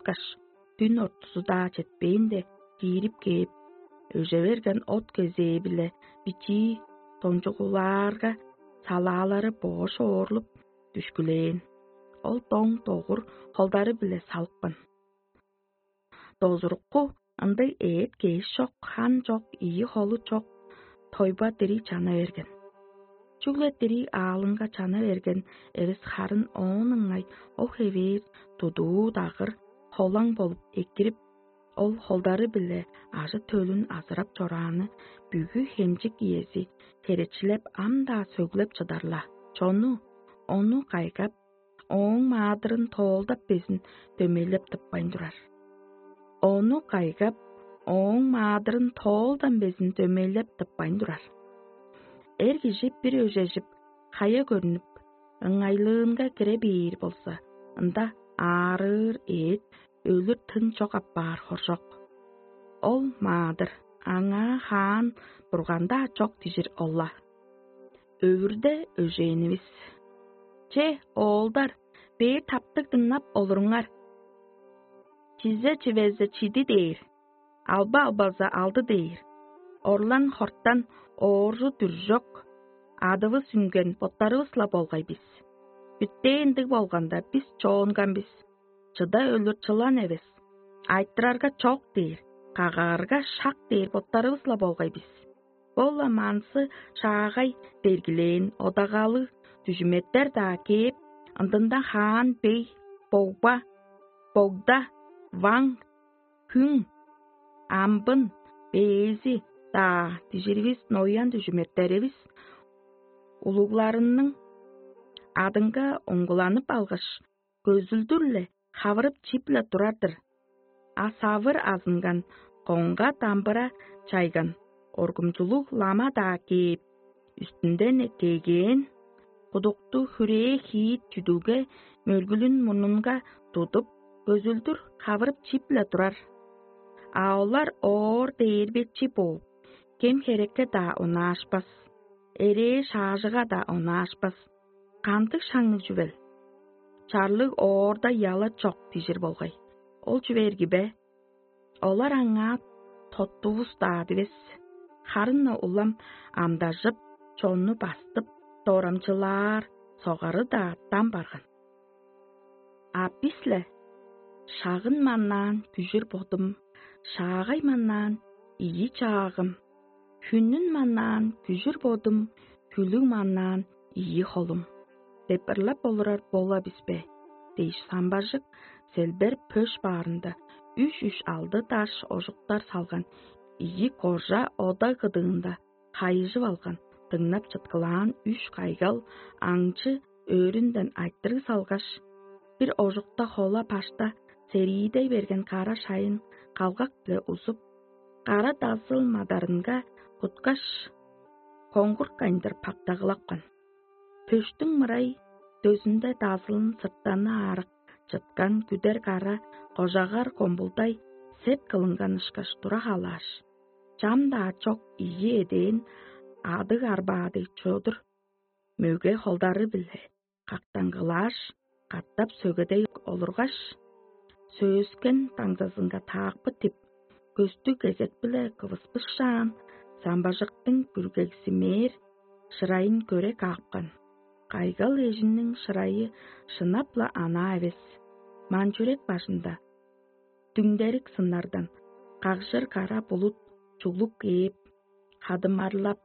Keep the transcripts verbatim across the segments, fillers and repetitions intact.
чыткаш, дүн ортузу-даа четпээнде, киирип кээп, өже берген от кезээ-биле бичии дончугулаарга, салаалары боош оорлуп дүшкүлээн. Ол доң-догур холдары-биле салыпкан. Дозурукку ындыг эът-кеш чок, хан чок, ийи холу чок тойба дириг чана берген. Чүгле дириг аалынга чана берген эвес, харын оон ыңай ол хевээр тудуу-дагыр холаң болуп экирип, ол холдары-биле ажы-төлүн азырап чорааны бүгү хемчик иези херечилеп, ам-даа сөглеп чыдар-ла. Чону ону кайгап, ооң маадырын тоолдап безин дөмейлеп тыппайн турар. Ону кайгап, ооң маадырын тоолдан безин дөмейлеп тыппайн турар. Эр кижи бир өжежип, хая көрнүп, ыңайлыынга кире бээр болза, ында аарыыр эът өлүр тын чок апаар хоржок. Ол маадыр, аңаа хаан бурган-даа чок дижир ол-ла. Өвүрде өжээнивис. Че, оолдар, бээр таптыг дыңнап олуруңар. Чизе чивезе чиди дээр, алба албаза алды дээр, орлан хортан ооржу дүржок, адывыс үнген боттарывыс-ла болгай бис. Бүтээ ындыг болганда, бис чоонган бис. Чыда өлүр чылан эвес. Айтырарга чок дээр, кагаарга шак дээр боттарывыс-ла болгай бис. Ол-ла манзы шаагай бергилээн одагалы дүжүметтер-даа кээп, ындында хаан бей, богба, богда, ваң, хүң, амбын, бээзи-даа дижиривис ноян дүжүметтеривис улугларының адынга оңгуланып алгаш, көзүлдүр-ле хавырып чип-ле турар-дыр. А савыр азынган, коңга дамбыра чайган, коргумчулуг лама-даа кээп, үстүнден эккээгээн, кудукту хүрээ хиит чүдүлге мөргүлүн мурнунга тудуп, көзүлдүр хавырып чип-ле турар. А олар оор дээрбечи бооп, кем-херекке-даа онаашпас, эрээ шаажыга-даа онаашпас. Кандыг шаңныг чүвел? Чарлыг оорда яла чок дижир болгай. Ол чүве эрги бе? Олар аңаа тоттувус-даа дивес, харын-на улам амдажып, чонну бастып, дорамчылаар, согары-даа дам барган. А бис-ле: «Шагын маннаан күжүр бодум, шаагай маннаан ийи чаагым, хүннүн маннаан күжүр бодум, хүлүг маннаан ийи холум» деп ырлап олурар бола бис бе? — дээш, самбажык селбер пөш баарында үш-үш алды даш ожуктар салган ийи кожа ода кыдыында хайыжып алган, дыңнап чыткылаан үш кайгал аңчы өөрүнден айтырыг салгаш, бир ожукта хола башта сериидей берген кара шайын калгак-биле узуп, кара дазыл мадарынга куткаш, коңгурткайындыр пактагылапкан. Пөштүң мырай дөзүнде дазылын сырттаны аарык чыткан күдер кара кожагар комбулдай сеп кылынган ышкаш тура халааш, чам-даа чок ийи эдээн адыг арбаадыг чодур мөге холдары-биле кактаңгылааш, катап сөгедей олургаш, сөөскен даңзазынга таакпы тип, көстүг кезек-биле кывыспышаан, самбажыктың бүргегзимээр шырайын көре каапкан. Кайгал эжиниң шырайы шынап-ла анаа эвес, манчүрек бажында дүңдерик сыннардан кагжыр кара булут чуглуп кээп, хадымарлап,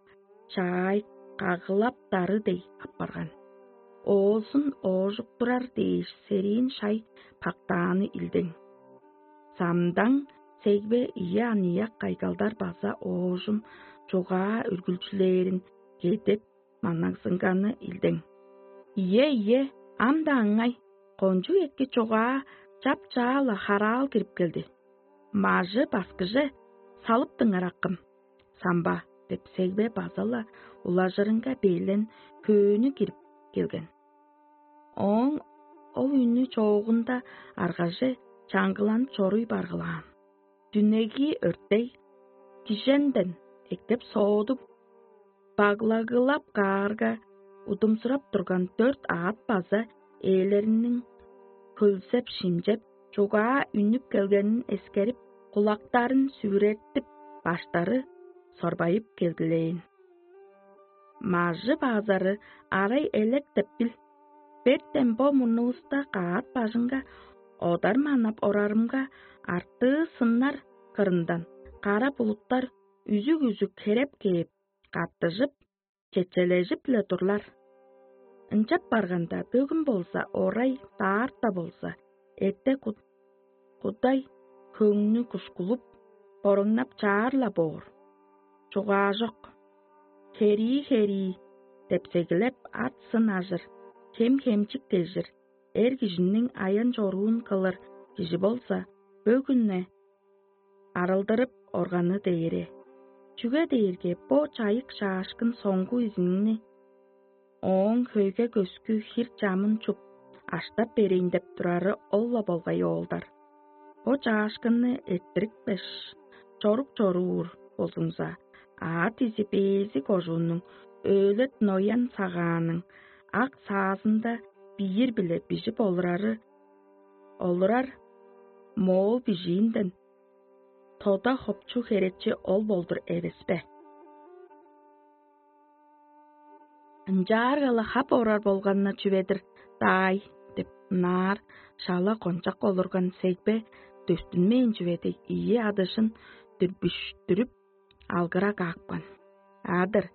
чаай кагылаптары дег апарган. Оозун оожуктурар дээш, сериин шай пактааны илдең. Самдаң сегбе ийи аныяк кайгалдар база оожум чугаа үргүлчүлээрин кедеп маннагзынганы илдең. Ийе, ийе, ам-даа ыңай, кончуг эки чугаа чап-чаа-ла хараал кирип келди. Мажы баскыже салыптыңар, акым, самба деп, сегбе база-ла улажырынга бээлен хөөнү кирип келген. Ооң ол үнү чоогунда аргаже чаңгыланып чоруй баргылаан. Дүнеги өртей, киженден эккеп соодуп, баглагылап каарга, удумсурап турган дөрт аът база ээлериниң хөлзеп-шимчеп, чугаа үнүп келгенин эскерип, кулактарын сүгүреттип, баштары сорбайып келгилээн. Мажы базары арай элек деп бил. Бертен бо мурнувуста каат бажынга одар манап орарымга, артыы сыннар кырындан кара булуттар үзүг-үзүг хереп кээп, каттыжып, четчележип-ле турлар. Ынчап барганда, бөгүн болза орай, даарта болза эте кудай хөңнү кушкулуп, боруңнап чаар-ла боор. Чугаажок. Херии-херии деп сегилеп, ат-сын ажыр, хем-хемчик дежир, эр кижиниң аян-чоруун кылыр кижи болза, бөгүн-не арылдырып органы дээре. Чүге дээрге бо чайык-чаашкын соңгу изиңни ооң хөйге-көскү хир-чамын чуп, аштап берейн деп турары ол-ла болгай, оолдар. Бо чаашкынны эрттирипкеш, чорук чоруур болзуңза, аът изи бээзи кожууннуң өөлет ноян сагааның ак саазында биир-биле бижип олурары, олурар моол бижиинден тода хопчу херечи ол болдур эвес бе? Ынчаарга-ла хап орар болганнар чүве-дир даай деп, ынаар шала кончак олурган сегбе дөстүнмээн чүве дег ийи адыжын дүрбүштүрүп, алгыра каапкан. «Адыр,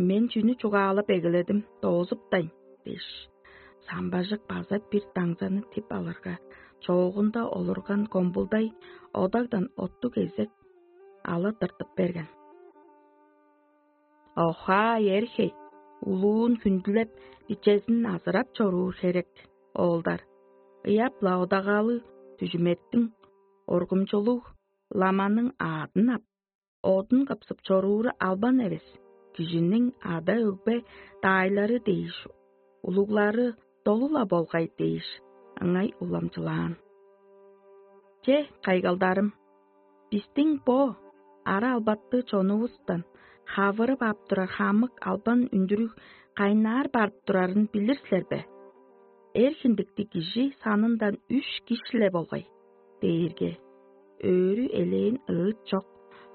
мен чүнү чугаалап эгеледим, доозуптайн» — дээш, самбажык база бир даңзаны тип алырга, чоогунда олурган комбулдай одагдан оттуг кезек ала тыртып берген. Охаа, эр-хей, улуун хүндүлеп, бичезин азырап чоруур херек, оолдар. Ыяп-ла одагаалыг дүжүметтиң, оргумчулуг ламаның аадын ап, одун кыпсып чорууру албан эвес, кижиниң ада-өгбе даайлары дээш, улуглары долу-ла болгай дээш, ыңай уламчылаан. Че, кайгалдарым, бистиң бо ара-албаты чонувустан хавырып ап турар хамык албан үндүрүг кайнаар барып турарын билир силер бе? Эр хиндиктиг кижи санындан үш киш-ле болгай дээрге, өөрү элээн ыыт чок,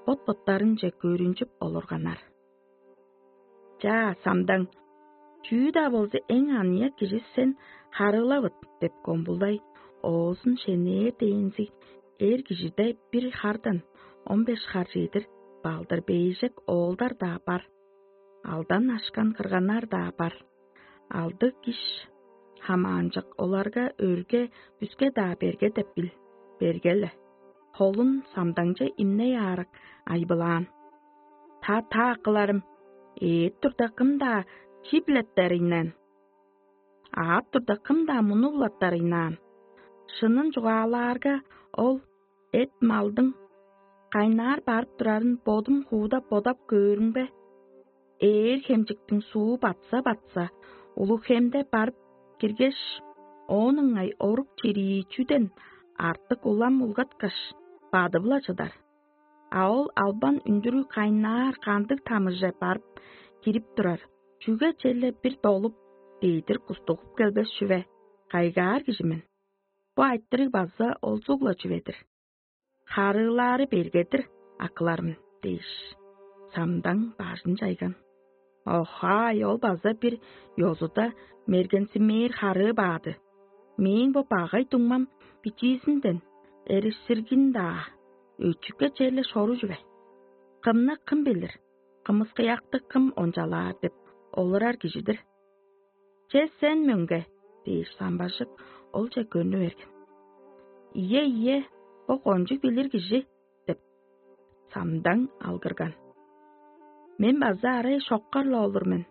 бот-боттарынче көрүнчүп олурганнар. «Чаа, самдаң, чүү-даа болза, эң аныяк кижи сен харыылавыт» — деп комбулай оозун шенээр дээнзиг эр кижиде бир хардан он беш хар чедир балдыр бээжек оолдар-даа бар, алдан ашкан кырганнар-даа бар. Алды киш хамаанчык оларга өрге-бүске-даа берге деп бил, берге-ле. Холун самдаңче имней аарак айбылаан. «Та-та, акыларым, ээп турда, кым-даа чип-леттер ыйнаан? Аап турда, кым-даа мунуп-латтар ыйнаан? Шынын чугаалаарга, ол эт-малдың кайнаар барып турарын бодум хууда бодап көөрүм бе? Ээр хемчиктиң суу батса-батса, улуг хемде барып киргеш, оон ыңай орук чирии чүден артык улам улгаткаш, бадып-ла чыдар. А ол албан үндүрүг кайнаар кандыг тамыже барып кирип турар, чүге черле бир долуп, дедир кустугуп келбес чүве, кайгаар кижи мен. Бо айтырыг база олзуг-ла чүве-дир. Харыылаары берге-дир, акыларым» — дээш, самдаң бажын чайган. «Охай, ол база бир ёзуда мергензимээр харыы баады. Мээң бо багай дуңмам бичиизинден эришсиргин-даа, өчүкке черле шору чүве. Кымны кым билир, кымыскыякты кым ончалаар деп олурар кижи-дир. Че, сен мөңге» — дээш, самбажык олче көрнү берген. «Ийе, ийе, бо кончуг билир кижи» — деп, самдаң алгырган. «Мен база арай шоккар-ла олур мен.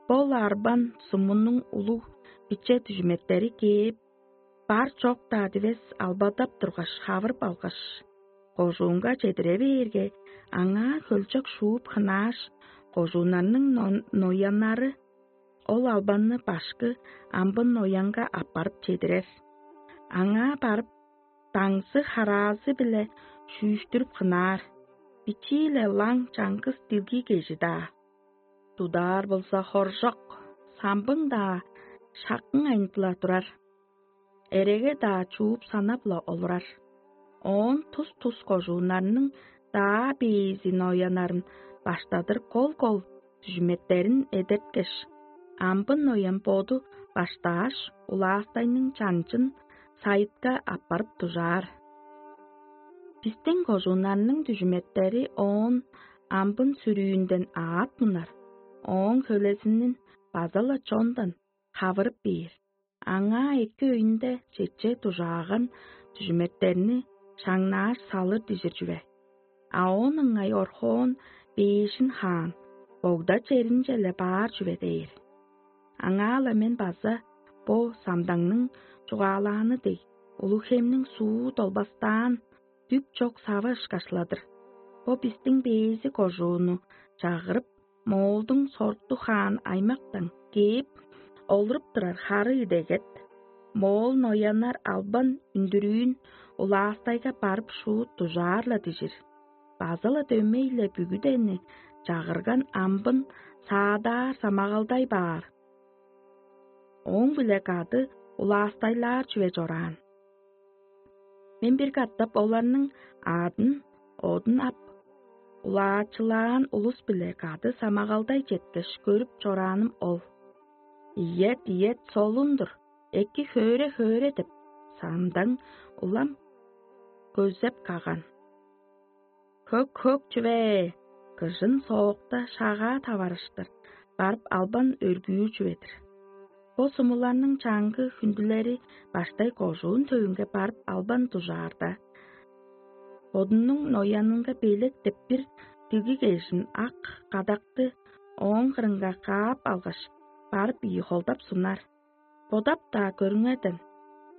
Бо-ла арбан сумунуң улуг биче дүжүметтери кээп, бар-чок-даа дивес албадап тургаш, хавырып алгаш, кожуунга чедире бээрге, аңаа хөлчок шууп хынааш, кожууннарның нон- нояннары ол албанны башкы амбын ноянга аппарып чедирер. Аңаа барып, даңзы-хараазы-биле шүүштүрүп хынаар. Бичии-ле лаң чаңгыс дилги кежи-даа. Тудаар болза, хоржок, самбың-даа шаккың айнып-ла турар. эреге-даа чууп санап-ла олурар. Оон тус-тус кожууннарның даа бээзи нояннарын баштадыр кол-кол дүжүметтерин эдерткеш, амбын ноян боду баштааш, улаастайның чанчын сайытка аппарып дужаар. Бистиң кожууннарның дүжүметтери оон амбын сүрүүнден аът мунар, ооң хөлезинин база-ла чондан хавырып бээр. Аңаа эки өйүнде чече дужааган дүжүметтерни шаңнааш салыр дижир чүве. А оон ыңай орхоон бээшин хаан, богда черинче-ле баар чүве дээр. Аңаа-ла мен база бо самдаңның чугаалааны дег, улуг-хемниң суу долбастаан, дүк чок савы ышкашладыр. Бо бистиң бээзи кожууну чагырып, Моолдуң сорту хаан аймактан кээп, олуруп турар хары идегет, моол нояннар албан үндүрүүн улаастайга барып шуут дужаар-ла дижир. База-ла дөмей-ле бүгүдени чагырган амбын саадаар самагалдай баар. Ооң-биле кады улаастайлаар чүве чораан. Мен бир катап оларның аадын одун ап, улаачылаан улус-биле кады самагалдай четкеш көрүп чорааным ол. Ийет, ийет, солун-дур, эки хөөрү-хөөрү деп, самдаң улам көзеп каган. Хөк-хөк чүве, кыжын соокта шагаа таварыштыр, барып албан өргүүр чүве-дир. Бо сумуларның чаңгы хүндүлери баштай кожуун төвүнге барып албан дужаарда, бодунуң ноянынга белек деп бир дигиг эжин ак кадакты ооң кырынга каап алгаш, барып ийи холдап сунар. Бодап-даа көрүңерден,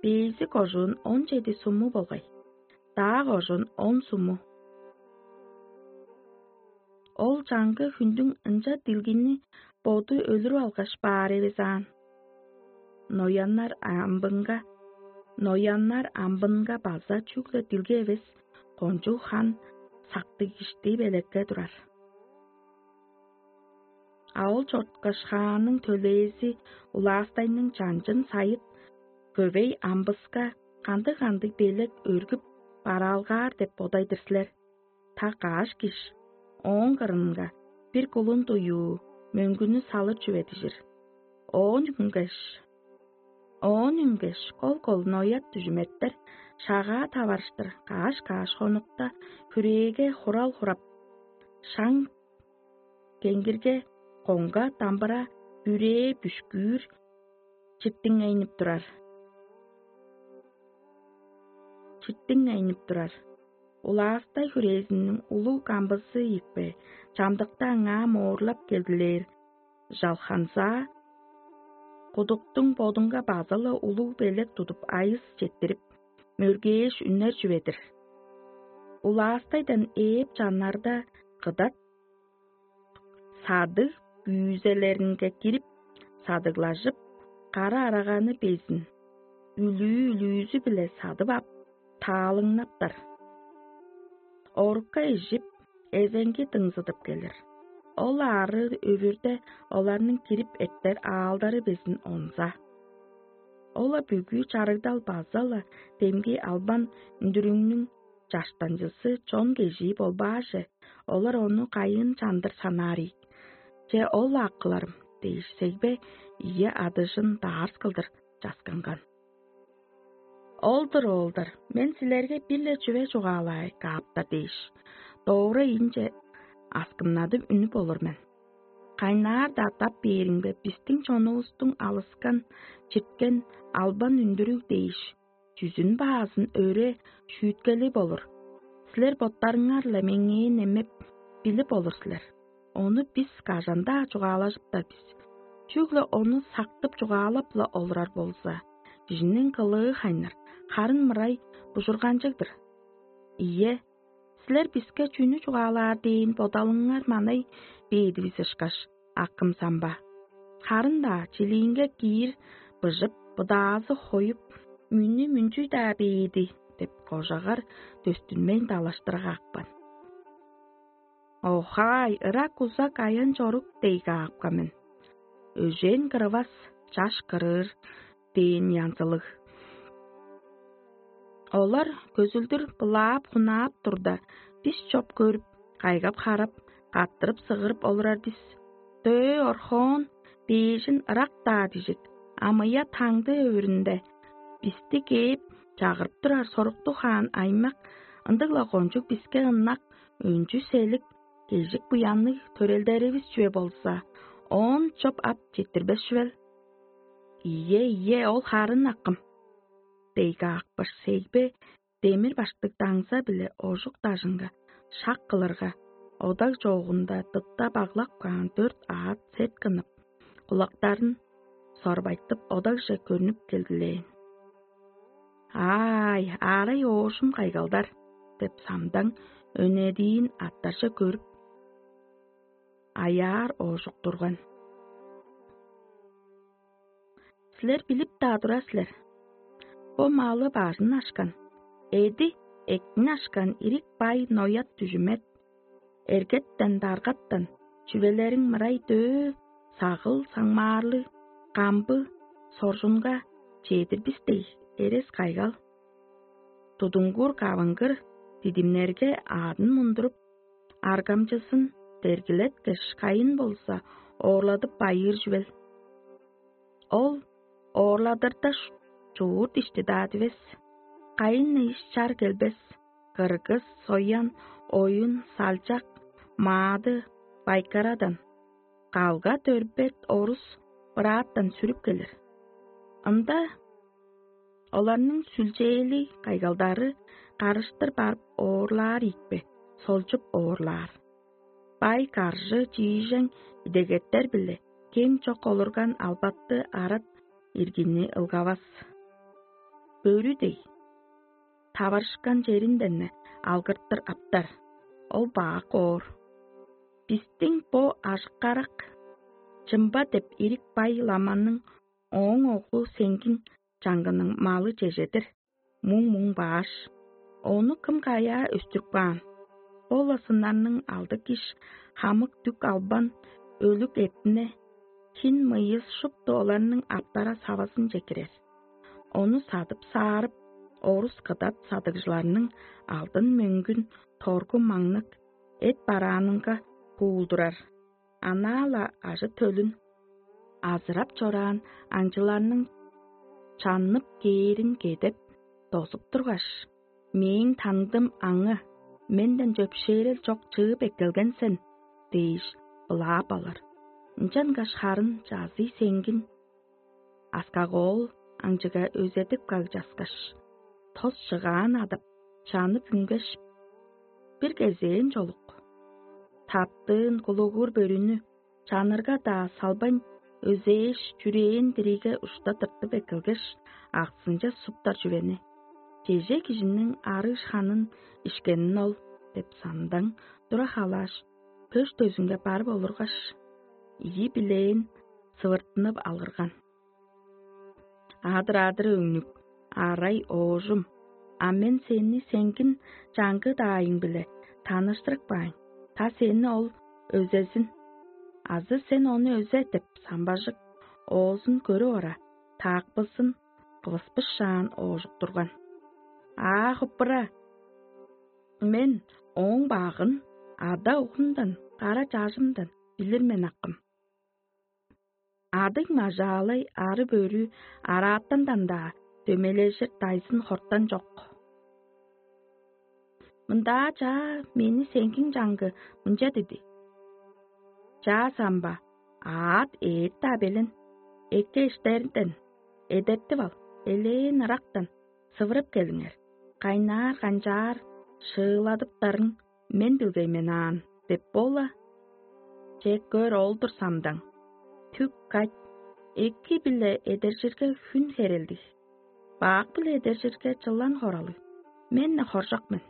бээзи кожуун он чеди суму болгай, даа кожуун он суму. Ол чаңгы хүндүң ынча дилгини боду өлүрүп алгаш баар эвес аан. Нояннар амбынга, нояннар амбынга база чүгле дилге эвес, кончуг хан сактыг ишти белекке турар. А ол чорткаш хааның төлээзи улаастайның чанчын сайыт, көвей амбыска кандыг-кандыг белек өргүп бараалгаар деп бодай-дыр силер. Та каш киш ооң кырынга бир кулун дуюу мөңгүнү салыр чүве дижир. Оон үнгеш, оон үнгеш, кол-кол ноят дүжүметтер шагаа таварыштыр каш-каш хонукта хүрээге хурал хурап, шаң кеңгирге, коңга, дамбыра, бүрээ, бүшкүүр читтиңейнип турар. Читтиңейнип турар. Улаастай хүрээзиниң улуг камбызы ийикпе, чамдыкта аңаа моорлап келдилээр жалханзаа, кудуктуң бодунга база-ла улуг белек тудуп айыс четтирип, мөргээш үннер чүве-дир. Улаастайдан ээп чаннарда кыдат садыг күүзелеринге кирип, садыглажып, кара араганы безин үлүү-үлүүзү-биле садып ап, таалыңнаптар. Орукка ижип, эзеңги дыңзыдып келир. Ол аарыы өвүрде оларның кирип эртер аалдары безин онза. Ол-ла бүгү чарыгдал база-ла демги албан үндүрүңнүң чаштанчызы чон кежии болбааже, олар ону кайыын чандыр санаар ийик. Че ол-ла акыларым дээш сегбе ийи адыжын даарс кылдыр часканган. Ол-дур, оолдар, мен силерге бир-ле чүве чугаалаай кааптар дээш, доора ийинче аскымнадып үнүп олур мен. Кайнаар-даа тап бээриңге бистиң чонувустуң алыскан, чирткен албан үндүрүг дээш, чүзүн баазын өре шүүткели болур. Силер боттарыңар-ла меңээ немеп билип олур силер. Ону бис кажан-даа чугаалажыптар бис. Чүгле ону сактып чугаалап-ла олурар болза, кижиниң кылыы хайнар, харын мырай бужурганчыг-дыр. Ийе, силер биске чүнү чугаалаар дээн бодалыңар манай бээдивис ышкаш, акым самба. Харын-даа чилиинге киир быжып, быдаазы хоюп, мүнү мүнчүй-даа бээди деп кожагар дөстүнмейн далаштырга акпан. Охай, ырак узак аян чорук дег аапка мен. Өжээн кырывас, чаш кырыыр дээн янзылыг. Олар көзүлдүр былаап-хунаап турда, бис чоп көрүп, кайгап-харап, каттырып-сыгырып олурар бис. Дөө орхоон, бээжин ырак-даа дижик, амыя таңды өөрүнде бисти кээп, чагырып турар соруктуг хаан аймак, ындыг-ла кончуг биске ынак, өнчү селик, кежик буянныг төрелдеривис чүве болза, оон чоп ап четтирбес чүвел. Ийе, ийе, ол харын акым. Дейге акпыш сегбе демир баштыг даңза-биле ожук дажынга шак кылырга, одаг чоогунда дытта баглап каан дөрт аът сет кынып, кулактарын сорбайтып, одагже көрнүп келгилээн. «Аай, аарай оожум кайгалдар!» — деп самдаң өнедиин аттарже көрүп, аяар оожук турган. Силер билип-даа турар силер. Бо малы бажын ашкан, эди эктин ашкан ирик бай ноят дүжүмет, эргеттен, даргаттан чүвелериң мырай дөө, сагыл, саңмаарлыг, камбы, соржунга чедир бис дег эрес кайгал. Тудуңгур кавынгыр дидимнерге аадын мундуруп, аргамчызын дергилеткеш, кайын болза, оорладып байыыр чүвел. Ол оорладырда чуурт ишти-даа дивес. Кайын иш чар келбес. Кыргыс, соян, оюн, салчак, маады, байкарадан, калга дөрбет орус бырааттан сүрүп келир. Ында оларның сүлчээли кайгалдары карыштыр барып оорлаар ийикпе, солчуп оорлаар. Бай каржы чиижең идегеттер-биле кем чок олурган албатты арат иргини ылгавас. Бөрү дег, таварышкан черинден-не алгыртыр аптар, ол бак оор. Бистиң бо ажыккарак чымба деп ирик бай ламанның ооң оглу сеңгиң чаңгының малы чежедир, муң-муң бааш. Ону кым каяа өстүрүп каан? Ол-ла сыннарның алды киш хамык дүк албан, өлүг эптине, хин мыйыс шупту оларның аптара савазынче кирер. Ону садып-саарып, орус кыдат садыгжыларның алдын мөңгүн торгу маңныг эт бараанынга куулдурар. Анаа-ла ажы-төлүн азырап чораан аңчыларның чаннып кээрин кедеп, дозуп тургаш: «Мээң таңдым аңы, менден чөпшээрел чок чыып эккелген сен» — дээш, былаап алыр. Ынчангаш харын чазый сеңгин аскак-оол аңчыга өзедип кагчаскаш, тос чыгаан адап, чанып үнгеш, бир кезээн чолук таптыын кулугур бөрүнү чанырга-даа салбайн, өзээш, чүрээн дириге ушта тыртып эккелгеш, аксынче суптар чүвени: «Чеже кижиниң арыыш ханын ишкенин ол» — деп самдаң тура халааш, пөш дөзүнге барып олургаш, ийи билээн сывыртынып алгырган: «Адыр-адыр, өңнүк, арай оожум, а мен сени сеңгин чаңгы-даайың-биле таныштырып каайн, та сени ол өзезин, азы сен ону өзе» — деп, самбажык оозун көрүп ора, таакпызын кывыспышаан оожук турган. «Аа, хуппура! Мен ооң багын ада-угумдан, кара чажымдан билир мен акым. Адыг-мажаалай ары-бөрү араатандан-даа дөмейлежир дайзын хортан чок. Мындаа чаа мени сеңгиң чаңгы мынча диди: „Чаа самба, аът ээп-даа белен, эки эштеринден эдертип ал, элээн ырактан сывырып келиңер, кайнаар-канчаар шыыладыптарын мен билгей мен аан“ — деп боола. Че, көр, ол-дур самдаң. Түк кать, эки-биле эдержирге хүн херелдиг, бак-биле эдержирге чылан хоралыг. Мен-не хоржок мен.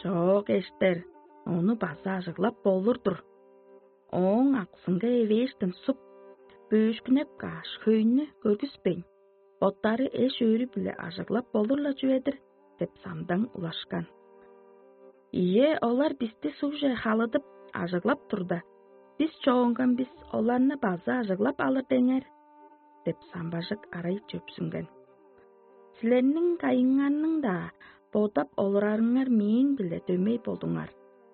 Чоок, эштер, ону база ажыглап болур-дур. Ооң аксынга эвээштен суп, бөөшкүнеп кааш, хөйнү көргүспейн, боттары эш-өөрү-биле ажыглап болур-ла чүве-дир» — деп самдаң улашкан. «Ийе, олар бисти сугже халыдып, ажыглап турда, бис чоогунган бис оларны база ажыглап алыр деңер» — деп самбажык арай чөпсүнген. Силерниң кайыңарның-даа бодап олурарыңар мээң-биле дөмей болдуңар,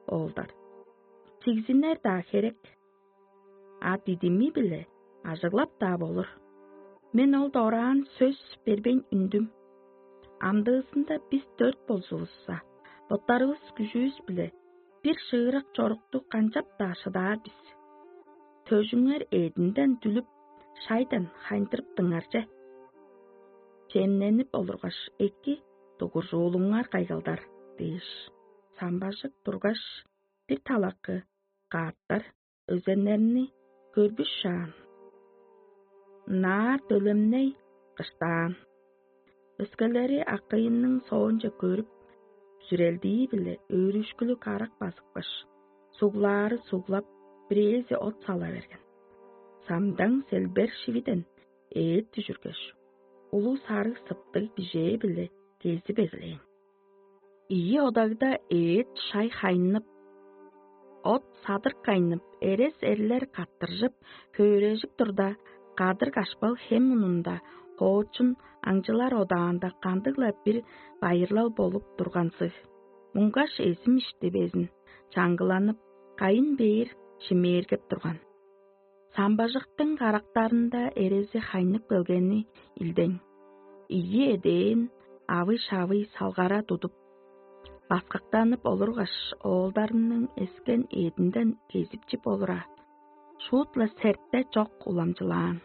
оолдар. Чигзинер-даа херек, а дидими-биле ажыглап-даа болур. Мен ол дораан сөс бербейн үндүм. Амдыызында бис дөрт болзувусса, боттарывыс күжүвүс-биле бир шыырак чорукту канчап-даа шыдаар бис. Төжүңер эъдинден дүлүп, шайдан хайындырыптыңар че. Чемненип олургаш, эки дугуржуулуңар кайгалдар дээш, самбажык тургаш, бир талакы каъттар өзеннерни көрбүшаан, наар төлемней кыштаан. Өскелери акыйының соонче көрүп, сүрелдии-биле өөрүшкүлүг карак базыпкаш, суглаары суглап, бирээзи от сала берген. Самдаң селбер шивиден ээт дүжүргеш, улуг сарыг сыптыг бижээ-биле кезип эгелээн. Ийи одагда ээт шай хайнып, от садырк кайнып, эрес эрлер каттыржып, хөөрежип турда, кадыр кашпал хем мунунда хоочун аңчылар одаанда кандыг-ла бир байырлал болуп тургансыг. Муңгаш эзим ишти безин чаңгыланып, кайын бээр шимээргеп турган. Самбажыктың карактарында эрези хайнып келгени илдең. Ийи эдээн авый-шавый салгара тудуп, баскактанып олургаш, оолдарының эскен эъдинден кезип чип олура, шуут-ла сертте чок уламчылаан.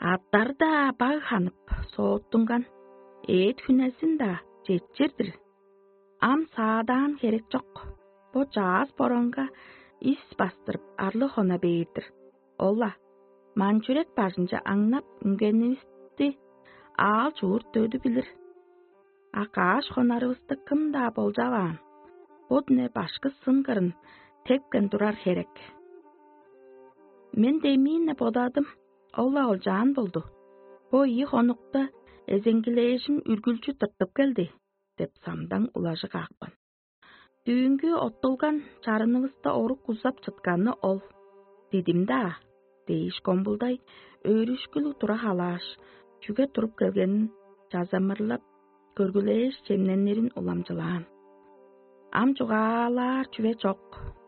Аттар-даа баг ханып, сооттунган, эът хүнезин-даа четчир-дир. Ам саадаан херек чок. Бо чаас боронга ис бастырып, арлы хона бээр-дир. Ол-ла, ман-чүрек бажынче аңнап үнгенивисти аал-чуур дөдү билир. А каш хонарывысты кым-даа болчаваан, бо дүне башкы сын кырын тепкен турар херек. Мен демиин-не бодадым, ол-ла олчаан болду. Бо ийи хонукта эзеңгилээжим үргүлчү тыртып келди деп, самдаң улажы каапкан. Дүүнгү оттулган чарынывыста орук узап чытканы ол. Дидим-даа дээш, комбулдай өөрүшкүлүг тура халааш, чүге туруп келгенин чазамырлап, көргүлээш, чемненирин уламчылаан. Ам чугаалаар чүве чок,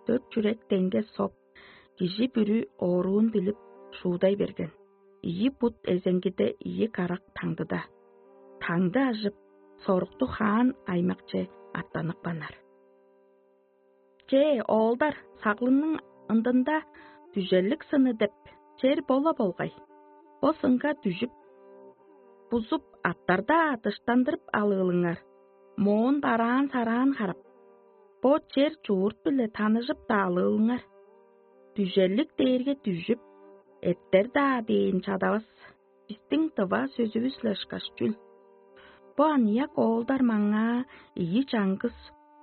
дөрт чүрек деңге соп, кижи бүрү ооруун билип, шуудай берген. Ийи бут эзеңгиде, ийи карак таңдыда. Таңды ажып, сорукту хаан аймакче аттаныкпаннар. Че, оолдар, саглыңның ындында дүжеллик сыны деп чер бола болгай. Бо сынга дүжүп, бузуп, аттарда дыштандырып алыылыңар, моон бараан-сараан харап, бо чер-чуурт-биле таныжып-даа алыылыңар. Дүжеллик дээрге дүжүп, эттер-даа дээн чадавас, бистиң дыва сөзүвүс-ле ышкаш чүл. Бо аныяк оолдар маңаа ийи чаңгыс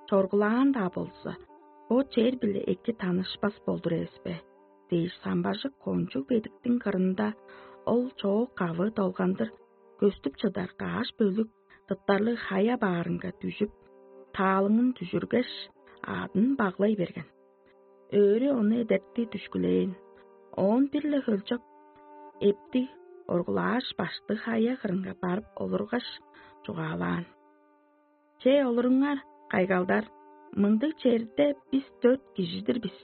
чоргулаан-даа болза, бо чер-биле эки танышпас болдур эвес бе? Дээш, самбажык кончуг бедиктиң кырында ол чоок кавы долгандыр көстүп чыдар каш бөлүк тыптарлыг хая баарынга дүжүп, таалыңын дүжүргеш, аъдын баглай берген. Өөрү ону эдерти дүшкүлээн. Оон бир-ле хөлчок эптиг оргулааш, баштыг хая кырынга барып олургаш, чугаалаан: «Че, олуруңар, кайгалдар, мындыг черде бис дөрт кижи-дир бис.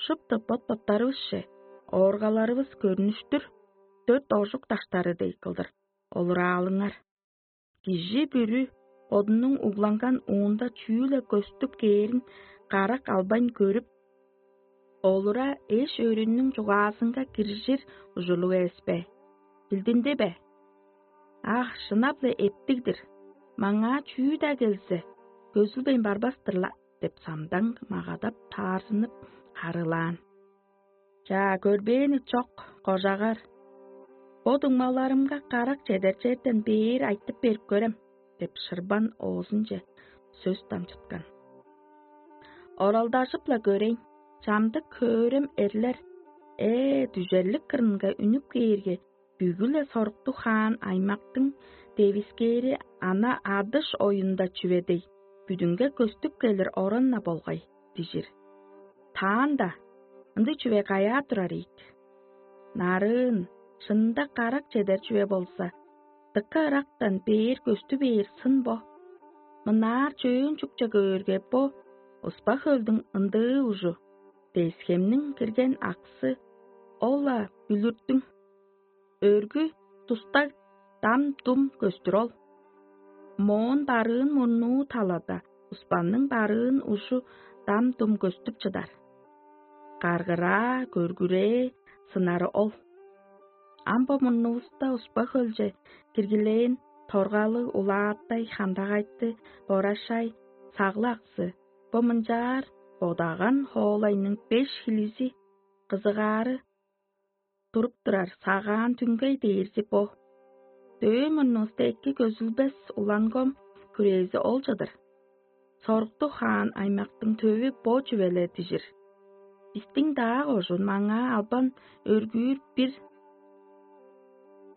Шупту бот-боттарывысче ооргаларывыс көрнүштүр, дөрт ожук даштары дег кылдыр олураалыңар. Кижи бүрү бодунуң угланган уунда чүү-ле көстүп кээрин карак албайн көрүп, олура эш-өөрүнүң чугаазынга киржир ужурлуг эвес бе? Билдинди бе? Ах, шынап-ла эптиг-дир. Маңаа чүү-даа келзе, көзүлбейн барбас-тыр-ла» — деп, самдаң магадап, таарзынып харыылаан. «Чаа, көрбээни чок, кожагар. Бо дуңмаларымга карак чедер черден бээр айтып берип көрем» — деп, шырбан оозунче сөс дамчыткан. Оралдажып-ла көрейн, чамдык хөөрем эрлер: «Ээ, дүжерлик кырынга үнүп кээрге, бүгү-ле соруктуг хаан аймактың девискээри ана адыш оюнда чүве дег, бүдүнге көстүп келир оран-на болгай» — дижир. Таанда ындыг чүве каяа турар ийик? Нарын, шынында карак чедер чүве болза, Дыка ырактан бээр көстү бээр сын бо. Мынаар чөөн чукча көөрге, бо Успа хөлдүң ындыы ужу, Десхемниң кирген аксы, ол-ла бүлүртүң. Өргү тустаг дам-дум көстүр ол. Моон барыын мурнуу талада Успанның барыын ужу дам-дум көстүп чыдар. Каргыраа, көргүрээ сынары ол. Ам бо мурнувуста Успа хөлче киргилээн торгалыг улааттай хандагайтты борашай саглаксы, бо мынчаар бодаган хоолайның беш хилизи кызыгаары туруп турар сагаан түңгей дээрзи бо. Дөөн мурнувуста эки көзүлбес улангом хүрээзи ол чыдыр. Соруктуг хаан аймактың төвү бо чүвеле дижир. Бистиң даа кожуун маңаа албан өргүүр бир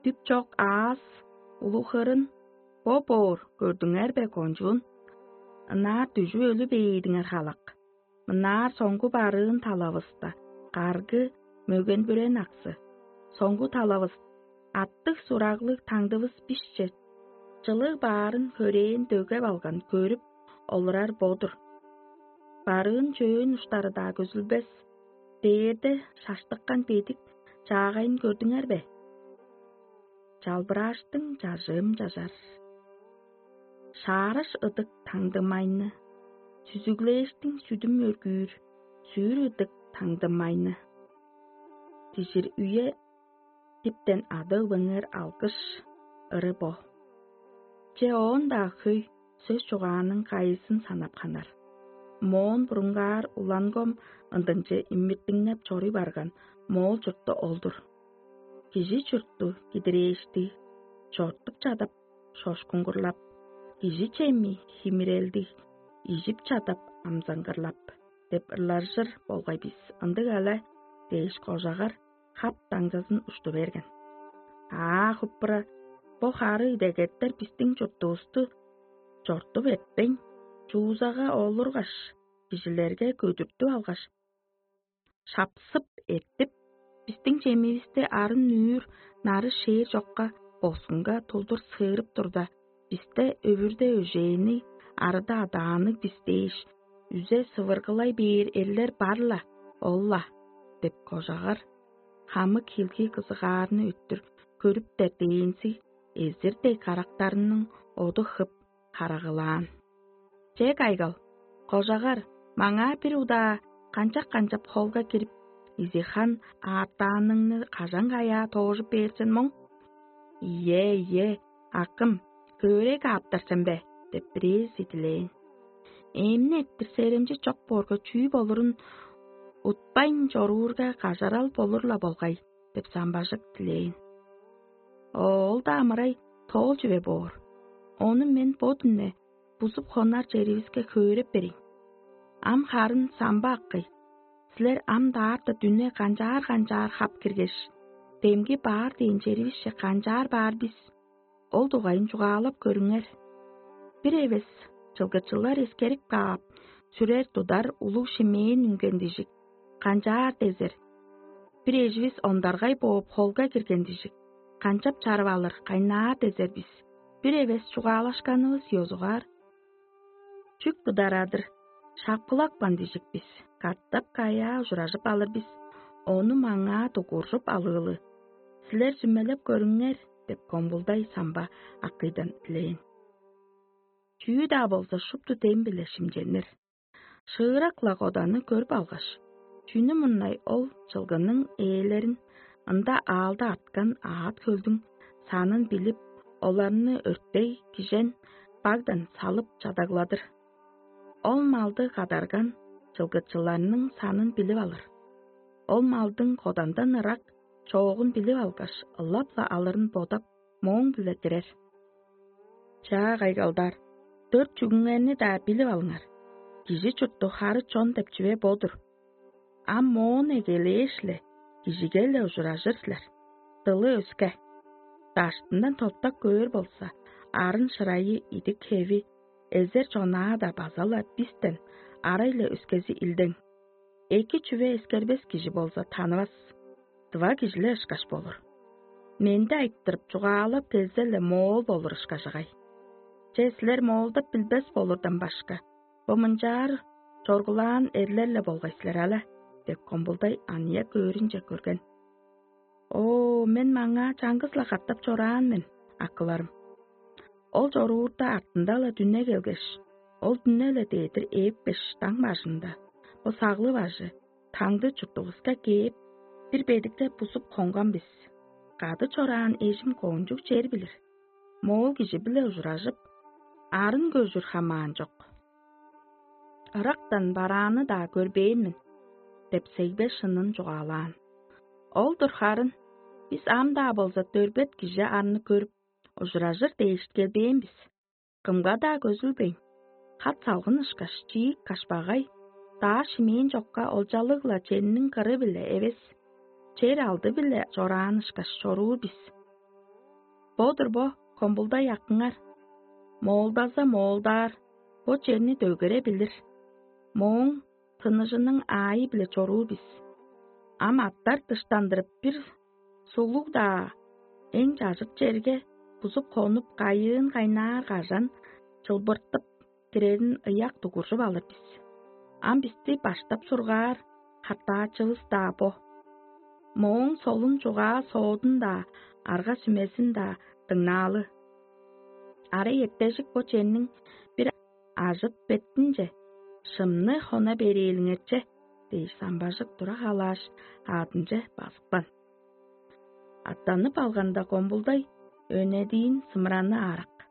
дүп чок аас улуг хырын бо боор көрдүңер бе, кончуун? Ынаар дүжүп өлү бээдиңер халак. Мынаар соңгу барыын талавыста каргы мөген-бүрен аксы. Соңгу талавыс аттыг сураглыг таңдывыс бишче чылыг баарын хөрээн дөгеп алган көрүп олурар бо-дур. Барыын чөөн уштары-даа көзүлбес, дээрде шаштыккан бедик чаагайын көрдүңер бе? Чалбырааштың чажыым чажар. Шаараш ыдык таңдымайны, сүзүглээштиң сүдүм өргүүр, сүүр ыдык таңдымайны. Дижир үе диптен ада-өгбеңер алгыш ыры бо. Че оон-даа хөй сөс чугааның кайызын санап ханар. Моон бурунгаар улангом ындынче иммиттиңнеп чоруй барган моол чурту ол-дур. Кижи чуртту кидирээшти, чортуп чадап, шошкуңгурлап, кижи чеми химирелдиг, ижип чадап, амзаңгырлап деп ырлажыр болгай бис, ындыг але дээш, кожагар хап даңзазын ушту берген. Аа, хуппура, бо хары идегеттер бистиң чуртувусту чортуп эртпейн, чуузага олургаш, кижилерге көдүртүп алгаш, шапсып эртип, бистиң чемивисти арын-нүүр нары шээр чокка босунга тулдур сыырып турда, бисте өвүрде өжээни арыда адаанныг бис дээш, үзе сывыргылай бээр эрлер бар-ла, ол-ла деп кожагар хамык хилги кызыгаарны өттүр көрүптер дээнзиг эзир дег карактарының оду хып харагылаан. Че, кайгал, кожагар, маңаа бир удаа канчап-канчап холга кирип, изихан аартааныңны кажан-каяа тоожуп бээр сен моң? Ийе, ийе, акым, хөөрей кааптар сен бе? Деп бирээзи дилээн. Эмни эттир серемчи чок боорга чүү болурун утпайн чоруурга кажарал болур-ла болгай деп самбажык дилээн. Ол-даа амырай тоол чүве боор. Ону мен бо дүнне бузуп хонар черивиске хөөреп берейн. Ам харын самба аккый. Силер ам даарта дүне канчаар-канчаар хап киргеш, демги баар дээн черивисче канчаар баар бис? Ол дугайын чугаалап көрүңер. Бир эвес чылгычылар эскерип каап, сүрер-тудар улуг шимээн үнген дижик, канчаар дезер? Бир эживис ондаргай бооп холга кирген дижик, канчап чарып алыр, кайнаар дезер бис? Бир эвес чугаалашканывыс ёзугаар. Чүк тударадыр, шапкылапкан дижик бис, катап каяа ужуражып алыр бис, ону маңаа дугуржуп алыылы. Силер сүмелеп көрүңер деп комбулдай самба акыйдан дилээн. Чүү-даа болза шупту дем-биле шимченир. Шыырак-ла Коданы көрүп алгаш, чүнү мурнай ол чылгының ээлерин, ында аалда арткан аът-хөлдүң санын билип, оларны өртей кижен багдан салып чадагладыр. Ол малды кадарган чылгычыларның санын билип алыр. Ол малдың Кодандан ырак чоогун билип алгаш, ылап-ла алырын бодап, мооң-биле кирер. Чаа, кайгалдар, дөрт чүгүңерни-даа билип алыңар. Кижи чуртту хары чон деп чүве бо-дур. Ам моон эгелээш-ле, кижиге-ле ужуражыр силер. Дылы өске. Даштындан топтак көөр болза, арын-шырайы, идик-хеви, эзер чонаа-даа база-ла бистен арай-ла өскези илдең. Эки чүве эскербес кижи болза, танывас, дыва кижи-ле ышкаш болур. Менди айтырып, чугаалап келзе-ле, моол болур ышкажагай. Че, силер моолдап билбес болурдан башка, бо мынчаар чоргулаан эрлер-ле болгай силер але» — деп, Комбулдай аныяк өөрүнче көрген. «О, мен маңаа чаңгыс-ла катап чораан мен, акыларым. Ол чоруурда артында-ла дүне келгеш, ол дүне-ле дедир ээпкеш, даң бажында, бо саглы бажы, таңды чуртувуска кээп, бир бедикте бузуп хонган бис. Кады чораан эжим кончуг чер билир. Моол кижи-биле ужуражып, арын көжүр хамаан чок. Ырактан барааны-даа көрбээн мен» — деп, сегбе шынын чугаалаан. Ол-дур харын, бис ам-даа болза дөрбет кижи арны көрүп, ужуражыр дээш келбээн бис. Кымга-даа көзүлбейн, хат салгын ышкаш, чиик кашпагай, даа шимээн чокка олчалыг-ла чемниң кыры-биле эвес, чер алды-биле чораан ышкаш чоруур бис. Бо-дур бо, Комбулдай акыңар. Моолдаза моолдаар, бо черни дөгере билир. Мооң тыныжының аайы-биле чоруур бис. Ам аттар дыштандырып, бир суглуг-даа эң чажыт черге бузуп хонуп, кайыын кайнаар кажан чылбыртып кирерин ыяк дугуржуп алыр бис. Ам бисти баштап сургаар хартаачывыс-даа бо. Мооң солун чугаа соодун-даа, арга-сүмезин-даа дыңнаалы. Арай эптежик бо черниң бир ажыт беттинче шымны хона берээлиңерче» — дээш, самбажык тура халааш, аъдынче базыпкан. Аттанып алганда, Комбулдай өнедиин сымыраны аарак.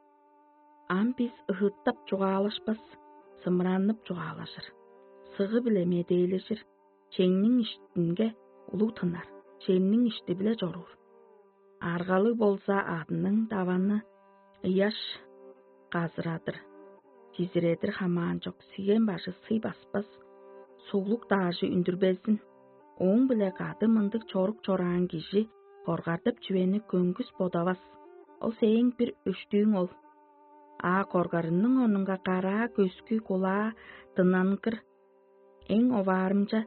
Ам бис ыһыттап чугаалашпас, сымыранып чугаалажыр, сыгы-биле медээлежир, чеңниң иштинге улуг тынар, чемниң ишти-биле чоруур. Аргалыг болза, адының даваны ыяш казырадыр, чизиредир хамаан чок, сиген бажы сый баспас, суглук даажы үндүрбезин. Ооң-биле кады мындыг чорук чораан кижи коргардып чүвени көңгүс бодавас. Ол сээң бир өштүүң ол. А коргарының орнунга караа көскү кулаа дынангыр, эң оваарымча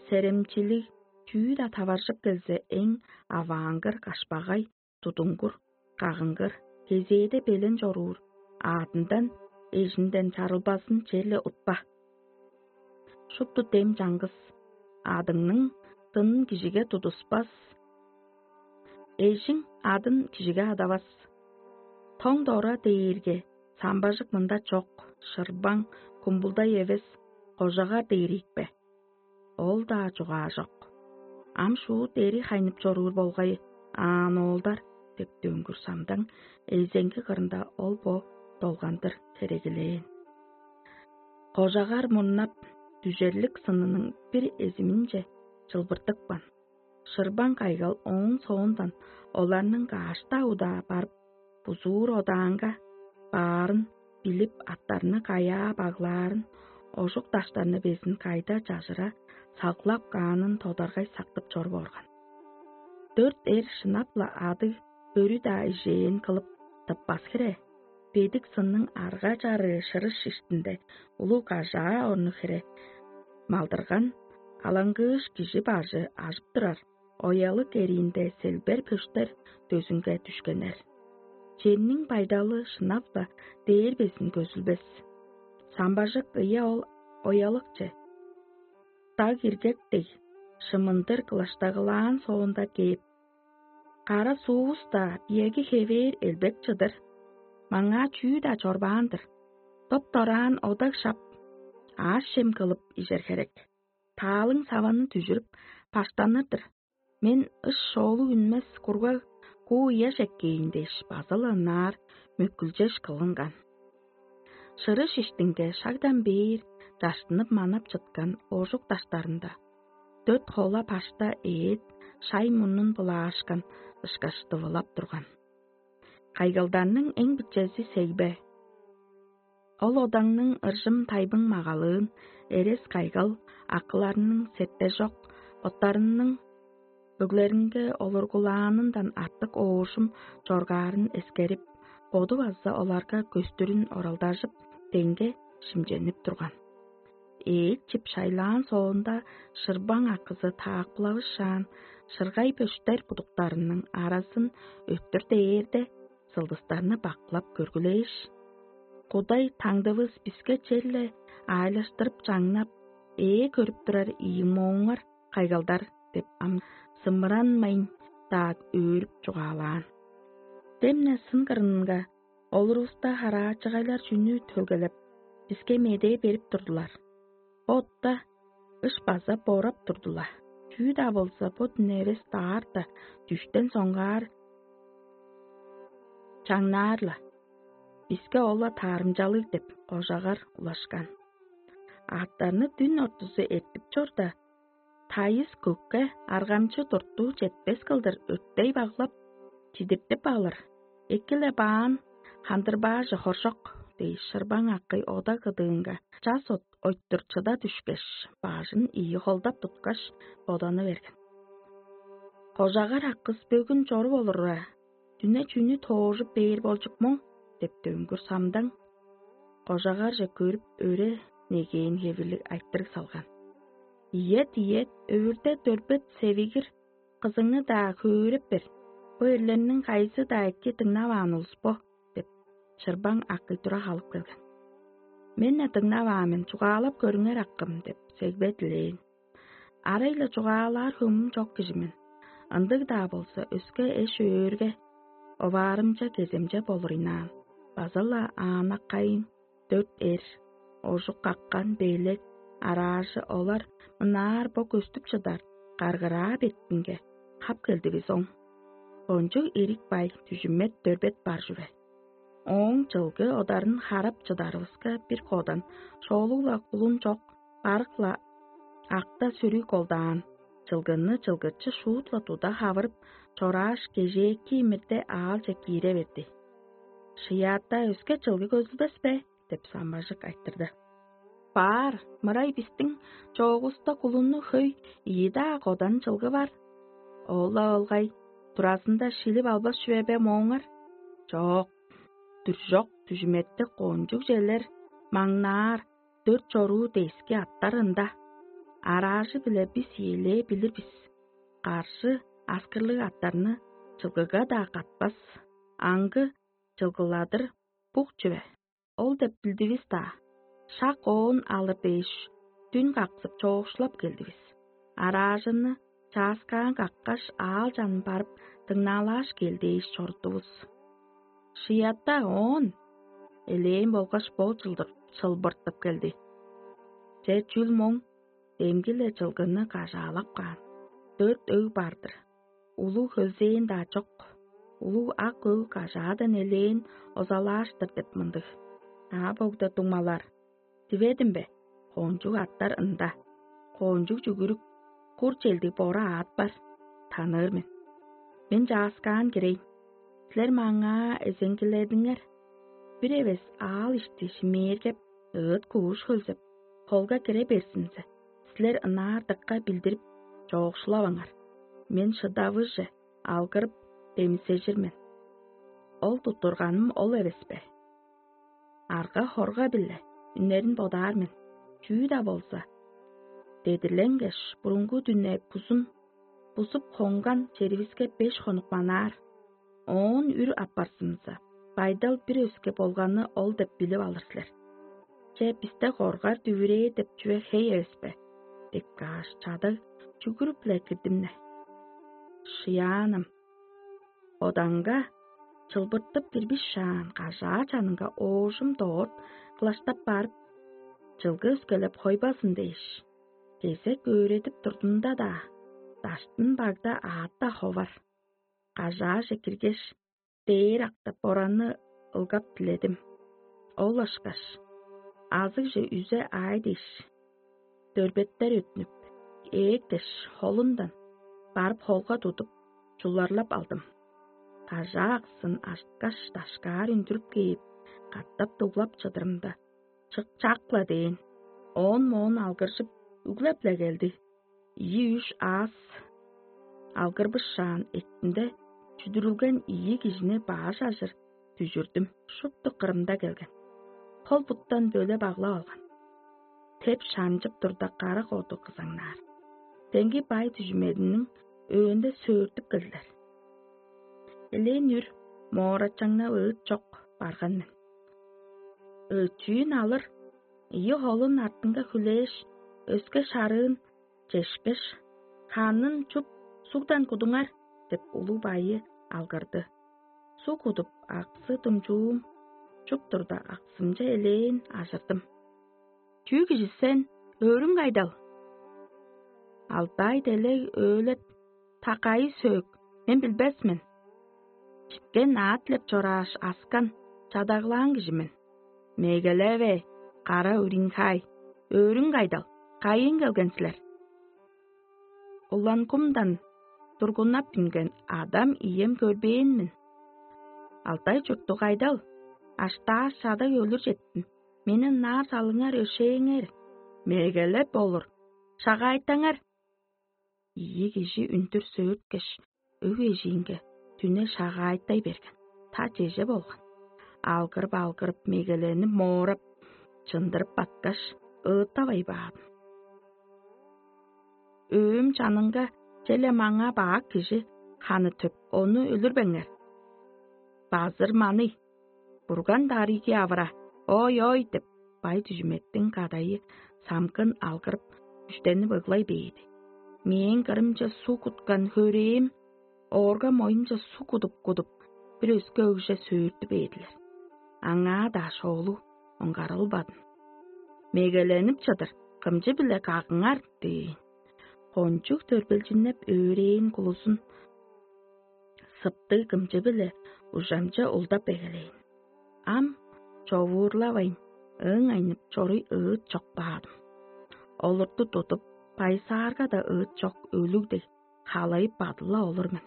серемчилиг чүү-даа таваржып келзе, эң аваангыр кашпагай, тудуңгур, кагыңгыр, кезээде белен чоруур, аадындан, эжинден чарылбазын черле утпа. Шупту дем чаңгыс, адыңның дынын кижиге тудуспас, эжиң адын кижиге адавас. Тоң дора дээрге, самбажык мында чок, шырбаң, кумбулдай эвес, кожагар дээр ийикпе? Ол-даа чугаажок. Ам шуут эри хайнып чоруур болгай аан, оолдар, — деп дөңгүр самдаң эзеңги кырында ол бо долгандыр херегилээн. Кожагар мурнап, дүжерлик сынының бир эзиминче чылбыртыпкан. Шырбаң кайгал ооң соондан оларның каашта удаа барып, бузуур одаанга баарын билип, аттарны каяа баглаарын, ожук даштарны безин кайда чажыра сагылап каанын тодаргай сактып чоруп орган. Дөрт эр шынап-ла адыг бөрү-даа ижээн кылып тыппас хире, бедик сынның арга-чарыы шырыш иштинде улуг кажаа орну хире малдырган, алаңгыыш кижи бажы ажып турар, оялык эриинде селбер пөштер дөзүнге дүшкеннер. Чемниң байдалы шынап-ла дээр безин көзүлбес. Самбажык ыя ол оялыкче, даг иргек дег, шымындыр кылаштагылаан соонда кээп: «Кара суувус-даа, биеги хевээр элбек чыдыр. Маңаа чүү-даа чорбаан-дыр. Доп-дораан одаг шап, аъш-чем кылып ижер херек. Таалың саваны дүжүрүп, баштаныр-дыр. Мен ыш шоолуг үнмес кургаг куу ыяш эккээн» — дээш, база-ла ынаар мөккүлчеш кылынган. Шырыш иштинге шагдан бээр даштынып манап чыткан ожук даштарында дөрт хола башта ээт шай мурнун былаашкан ышкаш дывылап турган. Кайгалдарның эң бичези сегбе. Ол одаңның ыржым тайбың магалыын эрес кайгал акыларының сертежок, оттарының өглеринге олургулаанындан артык оожум чоргаарын эскерип, боду база оларга көстүрүн оралдажып, деңге шимченип турган. Ээт чип шайлаан соонда, шырбаң акызы таакпылавышаан, шыргай бөштер будуктарының аразын өттүр дээрде, сылдыстарны бакылап көргүлээш: «Кудай таңдывыс биске черле аайлаштырып чаңнап, ээ көрүп турар ийи мооңар кайгалдар» деп ам сымыранмайн-даа өөрүп чугаалаан. Демне сын кырынга олурувуста хараачыгайлар чүнү төлгелеп, биске медээ берип турдулар. Бо отта ыш база борап турду-ла. Чүү-даа болза, бо дүне эвес даарта дүштен соңгаар чаңнаар-ла. Биске ол-ла таарымчалыг деп кожагар улашкан. Аъттарны дүн ортузу эртип чорда, тайыс көкке аргамчы туртуу четпес кылдыр өттей баглап, чидиртип алыр. Эки-ле баан, хандырбаажы хоржок дээш, шырбаң акый ода кыдыынга час от ойтур чыда дүшкеш, бажын ийи холдап туткаш, боданы берген. Кожагар акыс бөгүн чоруп олурура, дүне чүнү тоожуп бээр болчук моң деп дөңгүр самдаң кожагарже көрүп, өре негээн хевирлиг айтырыг салган. «Ийет, ийет, өвүрде дөрбет севигир кызыңны-даа хөөреп бер. Бо эрлерниң кайызы-даа эки дыңнаваан улус бо» деп, шырбаң акый тура халып келген. «Мен-не дыңнаваан мен, чугаалап көрүңер, акым» деп сегбе дилээн. Арай-ла чугаалаар хөмүм чок кижи мен. Ындыг-даа болза, өске эш-өөрге оваарымча кеземче болур ыйнаан, база-ла аанаккайын дөрт эр, ожук каккан белек араажы олар мынаар бо көстүп чыдар каргыраа беттинге хап келдивис оң. Кончуг эрик бай дүжүмет дөрбет бар чүве. Ооң чылгы одарын харап чыдарывыска, бир кодан шоолуг-ла кулун чок, барык-ла акта сүрүг колдаан, чылгынны чылгычы шуут-ла туда хавырып, чорааш, кежээки имирде аалче киире берди. «Шыяатта өске чылгы көзүлбес бе?» — деп самбажык айтырды. «Баар, мырай бистиң чоогуста кулунну хөй ийи-даа кодан чылгы бар. Ол-ла болгай, туразында шилип албас чүве бе мооңар? Чок, дүржок дүжүметти кончуг челер маңнаар дөрт чоруу дески аттар ында. Араажы-биле бис ийилээ билир бис. Каржы аскырлыг аттарны чылгыга-даа катпас, аңгы чылгыладыр бук чүве. Ол деп билдивис-даа, шак оон алыр дээш, дүн каксып, чоокшулап келдивис. Араажыны чааскаан каккаш, аал чанын барып, дыңнаалааш кел дээш чорудувус. Шыята оон элээн болгаш бо чылдыр чылбыртып келди. Че, чүл моң, демги-ле чылгыны кажаалап каан. Дөрт өг бар-дыр. Улуг хөлзээн-даа чок. Улуг ак өг кажаадан элээн озалааш-тыр деп мындыг. А богда дуңмалар: диведим бе? Кончуг аттар ында. Кончуг чүгүрүк, кур челдиг бора аът бар. Таныыр мен. Мен чааскаан кирейн. Силер маңаа эзеңгиледиңер. Бир эвес аал ишти шимээргеп, ыыт кууш хөлзеп, холга кире берзинзе, силер ынаар дыка билдирип, чоокшулаваңар. Мен шыдавыже алгырып, демисежир мен. Ол туттурганым ол эвес бе? Арга-хорга-биле үнерин бодаар мен. Чүү-даа болза, дедирленгеш, бурунгу дүне бузун бузуп хонган черивиске беш хонук манаар. Оон үр аппарзымза, байдал бир өске болганы ол деп билип алыр силер. Че, бисте коргар дүвүрээ деп чүве хей эвес бе? Деп кааш, чадаг чүгүрүп-ле кирдим-не. Шыяанам, одаңга чылбыртып кирбишаан, кажаа чанынга оожум дорт кылаштап барып, чылгы өскелеп хойбазын дээш, кезек өөредип турдумда-даа, даштын багда аътта ховар. Кажааже киргеш, дээр актап, Боранны ылгап диледим. Ол ышкаш азыгже үзе аай дээш, дөрбеттер өттүнүп, ээктеш, холундан барып, холга тудуп, чуларлап алдым. Кажаа аксын ажыткаш, дашкаар үндүрүп кээп, катап дуглап чыдырымда, чык-чак-ла дээн. Оон-моон алгыржып, үглеп-ле келди. Ийи-үш аас алгырбышаан эктинде чүдүрүлген ийи кижини баш ажыр дүжүрдүм, шупту кырымда келген. Хол-буттан бөлеп аглап алган. Теп шанчып турда, кара коду кызаңнаар. Демги бай дүжүмединиң өөнде сөөртүп келдилер. Элээн үр моорачаңнап ыыт чок барган мен. Өчүүн алыр ийи холун артынга хүлээш, өске шарыын чешкеш: «Ханын чуп, сугдан кудуңар» — деп улуг байы алгырды. Суг кудуп, аксы думчуум чуп турда, аксымче элээн ажырдым. «Чүү кижи сен, өөрүң кайдал?» «Алтай делег өөлеп, та кайы сөөк, мен билбес мен. Читкен аът илеп чорааш, аскан, чадаглаан кижи мен. Мегелеве, кара Уринхай, өөрүң кайдал, кайыын келген силер?» «Улан-Кумдан тургуннап үнген адам ием көрбээн мен. Алтай чурттуг кайдал, аштааш чадаг өлүр четтим. Мени ынаар салыңар, өшээңер. Мегелеп болур, шагаайтаңар». Ийи кижи үндүр сөөрткеш, өг эжиинге дүне шагаайтай берген, та чеже болган. Алгырып-алгырып, мегеленип, моорап, чындырып баткаш, ыыттавай баадым. Өөм чанынга черле маңаа бак кижи ханы төп, ону өлүрбеңер. «Базыр маный, бурган дарыйгы авыра, ой-ой» — деп, бай дүжүметтиң кадайы самгын алгырып, үштенип ыглай бээди. Мээң кырымче суг куткан хөрээм оорга моюнче суг кудуп-кудуп, бир өске өгже сөөртү бээдилер. Аңаа-даа шоолу оңгарылбадым. «Мегеленип чыдыр, кымчы-биле кагыңар» — дээн. Кончуг төрбелчиннеп, өөрээн кулузун сыптыг кымчы-биле ужамче улдап эгелээн. Ам човуурлавайн, ыың айнып чоруй ыыт чок баадым. Олурту тудуп, байсаарга-даа ыыт чок өлүг дег, халайып бадыла олур мен.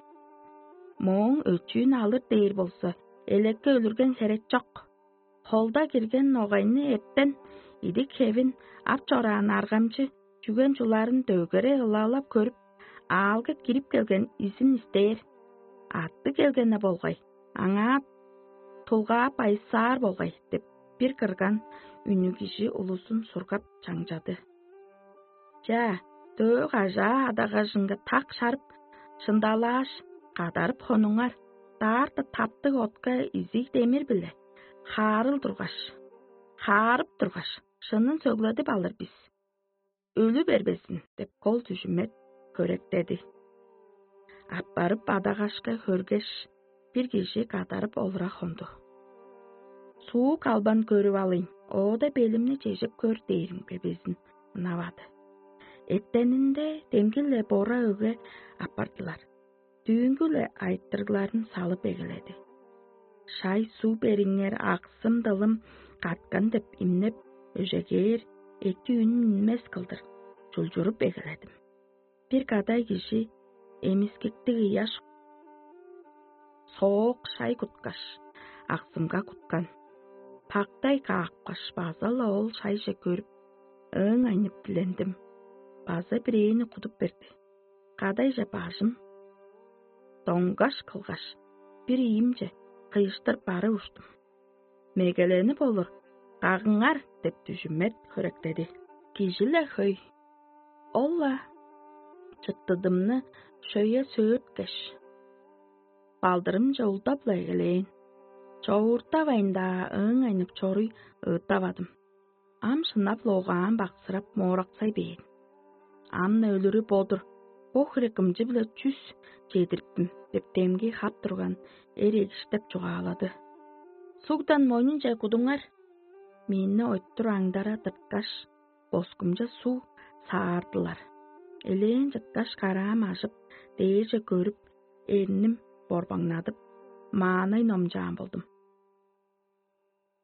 Мооң өчүүн алыр дээр болза, элекке өлүрген херек чок. Холда кирген ногайны эртен идик-хевин ап чораан аргамчы чүген чуларын дөгере ылалап көрүп, аалга кирип келген изин истээр. «Аттыг келгени болгай, аңаа тулгаап байысаар болгай» — деп, бир кырган үнүг кижи улузун сургап чаңчады. Чаа, дөө кажаа адагажынга так шарып, шындалааш, кадарып хонуңар, даарта таптыг отка изиг демир-биле хаарыл тургаш, хаарып тургаш, шынын сөгледип алыр бис. «Өлү бербезин» — деп, кол дүжүмет хөректеди. Аппарып адагашка хөргеш, бир кижи кадарып олура хонду. Суу калбан көрүп алыйн, оода белимни чежеп көр дээримге безин ынавады. Эртенинде демги-ле бора өгге аппардылар. Дүүнгү-ле айтырыгларын салып эгеледи. «Шай суг бериңер, аксым-дылым каткан» — деп имнеп, өжегээр эки үн үнмес кылдыр чулчуруп эгеледим. Бир кадай кижи эмискиктиг ыяш соок шай куткаш, аксымга куткан. Пактай каапкаш, база-ла ол шайже көрүп, ыың айнып дилендим. База бирээни кудуп берди. Кадайже бажым доңгаш кылгаш, бир ийимче кыйыштыр бары уштум. «Мегеленип олур, кагыңар» — деп, дүжүмет хөректеди. Кижи-ле хөй. Ол-ла чыттыдымны шөйе сөөрткеш, балдырымче улдап-ла эгелээн. Човууртавайн-даа ыың айнып чоруй ыыттавадым. Ам шынап-ла огаан баксырап, моораксай бээр. «Ам-на өлүрү бо-дур, бо хире кымчы-биле чүс чедириптим» — деп, демги хап турган эр эгиштеп чугаалады. «Сугдан мойнунче кудуңар». Мени ойтур аңдара тырткаш, боскумче суг саардылар. Элээн чыткаш, караам ажып, дээрже көрүп, эрним борбаңнадып, маанай номчаан болдум.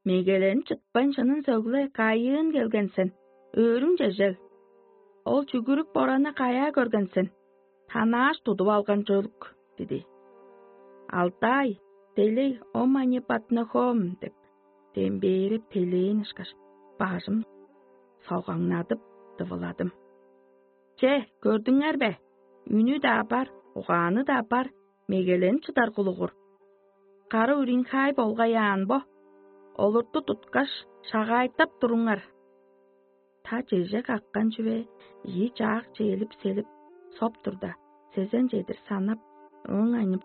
«Мегеленип чытпайн, шынын сөгле, кайыын келген сен? Өөрүң чежел? Ол чүгүрүк бораны каяа көрген сен? Танааш тудуп алган чөлүк» — диди. «Алтай, делей, омани патнахом» — деп, дембээрип, телээн ышкаш, бажым согаңнадып, дывыладым. «Че, көрдүңер бе? Үнү-даа бар, угааны-даа бар, мегеленип чыдар кулугур. Кара Уринхай болгай аан бо. Олурту туткаш, шагаайтап туруңар». Та чеже каккан чүве ийи чаак чээлип-селип соп турда, сезен чедир санап, ооң айнып,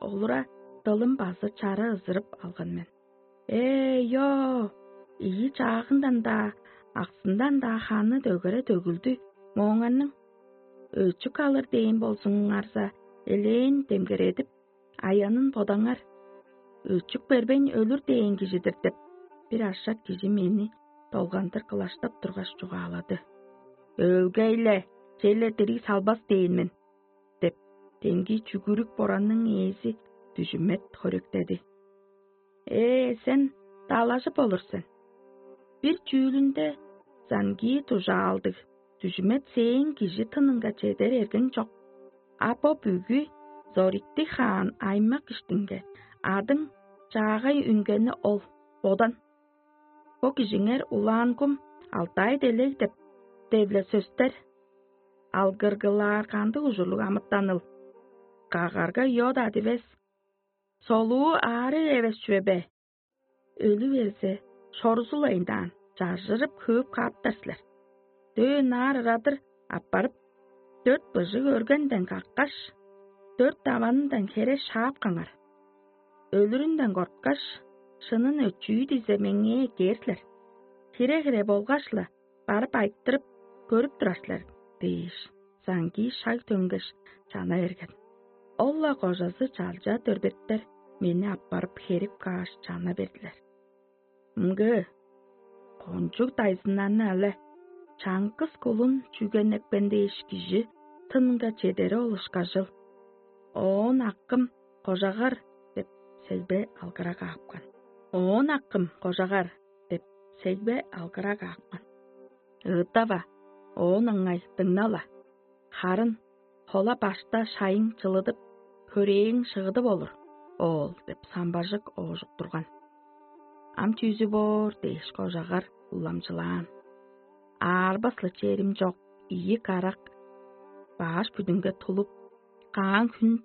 олура дылым базы чара ызырып алган мен. Ээ, йоо, ийи чаагындан-даа, аксындан-даа ханы дөгере төгүлдү мооңарның. Өчүк алыр дээн болзуңарза, элээн демгередип, аянын бодаңар. Өчүк бербейн өлүр дээн кижи-дир деп, бир ашак кижи мени долгандыр кылаштап тургаш чугаалады. Өлгей-ле, черле дириг салбас дээн мен деп, демги чүгүрүк боранның ээзи дүжүмет хөректеди. Ээ, сен далажып болур сен. Бир чүүлүнде заңгии дужаалдыг дүжүмет сээң кижи тынынга чедер эргең чок. А бо бүгү зориктиг хаан аймак иштинге адың чаагай үнгени ол. Бодан. Бо кижиңер улаан кум алтай делег деп девле сөстер. Алгыргылаар кандыг ужурлуг амытаныл? Кагарга йод адывес, солуу аарыг эвес чүве бе? Өлү берзе, шорузулайындаан, чаржырып хөөп кааптар силер. Дөөн аар ырадыр аппарып, дөрт быжыг өргенден каккаш, дөрт даванындан хере шаап каңар. Өлүрүнден корткаш, шынын өчүү дизе меңээ эккээр силер. Хире-хире болгаш-ла, барып айтырып көрүп турар силер дээш, Заңгий шаг төңгеш, чана берген. Ол-ла кожазы чалча дөрбеттер мени аппарып херип кааш, чана бердилер. Мгы, кончуг дайзыннарны але, чаңгыс кулун чүгенепкен дээш кижи тынынга чедери ол ышкажыл. Оон акым кожагар деп сегбе алгыра каапкан. Оон акым кожагар деп сегбе алгыра каапкан. Ыыттава, оон ыңай дыңнала. Харын хола башта шайың чылыдып, хөрээң шыгыдып олур, оол деп самбажык оожук турган. Ам чүүзү боор дээш кожагар уламчылаан. Аарбас-ла черим чок ийи карак бааш бүдүнге тулуп, каан хүн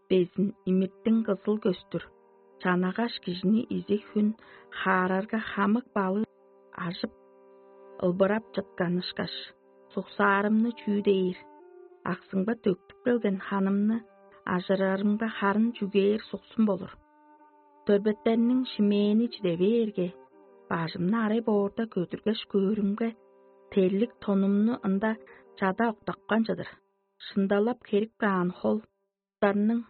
безин имиттиң кызыл көстүр, чанагаш кижини изиг хүн хаарарга хамык балыг ажып, ылбырап чыткан ышкаш, суксаарымны чүү дээр, аксыңба төктүп келген ханымны ажырарымга харын чүгээр суксун болур. Дөрбеттерниң шимээни чиде бээрге, бажымны арай боорда көдүргеш көөрүмге, терлик тонумну ында чада октапкан чыдыр. Шындалап херип каан хол дарның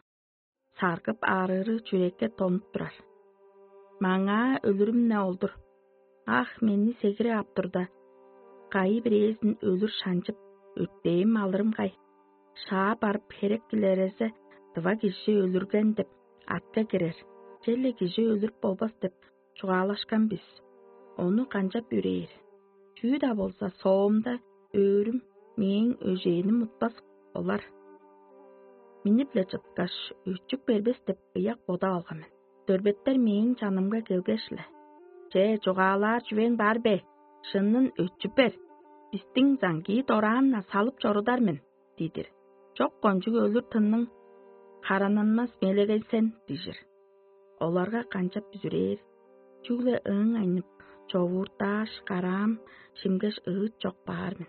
саргып аарыыры чүрекке тонуп турар. Маңаа өлүрүм-не ол-дур. Ах, мени сегире ап турда, кайы бирээзин өлүр шанчып, өртээм алырым кай? Шаа барып херек килерезе, дыва кижи өлүрген деп атка кирер, черле кижи өлүрүп болбас деп чугаалашкан бис. Ону канчап үрээр? Чүү-даа болза, соомда өөрүм мээң өжээним утпас олар. Минип-ле чыткаш, өчүк бербес деп ыяк бодап алган мен. Дөрбеттер мээң чанымга келгеш-ле: «Че, чугаалаар чүвең бар бе? Шынын өчүп бер. Бистиң заңгии дораан-на салып чорудар мен» — дидир. «Чок кончуг өлүр тынның харананмас мелегей сен» — дижир. Оларга канчап бүзүрээр? Чүгле ыңайнып, човууртааш, караам шимгеш ыыт чок баар мен.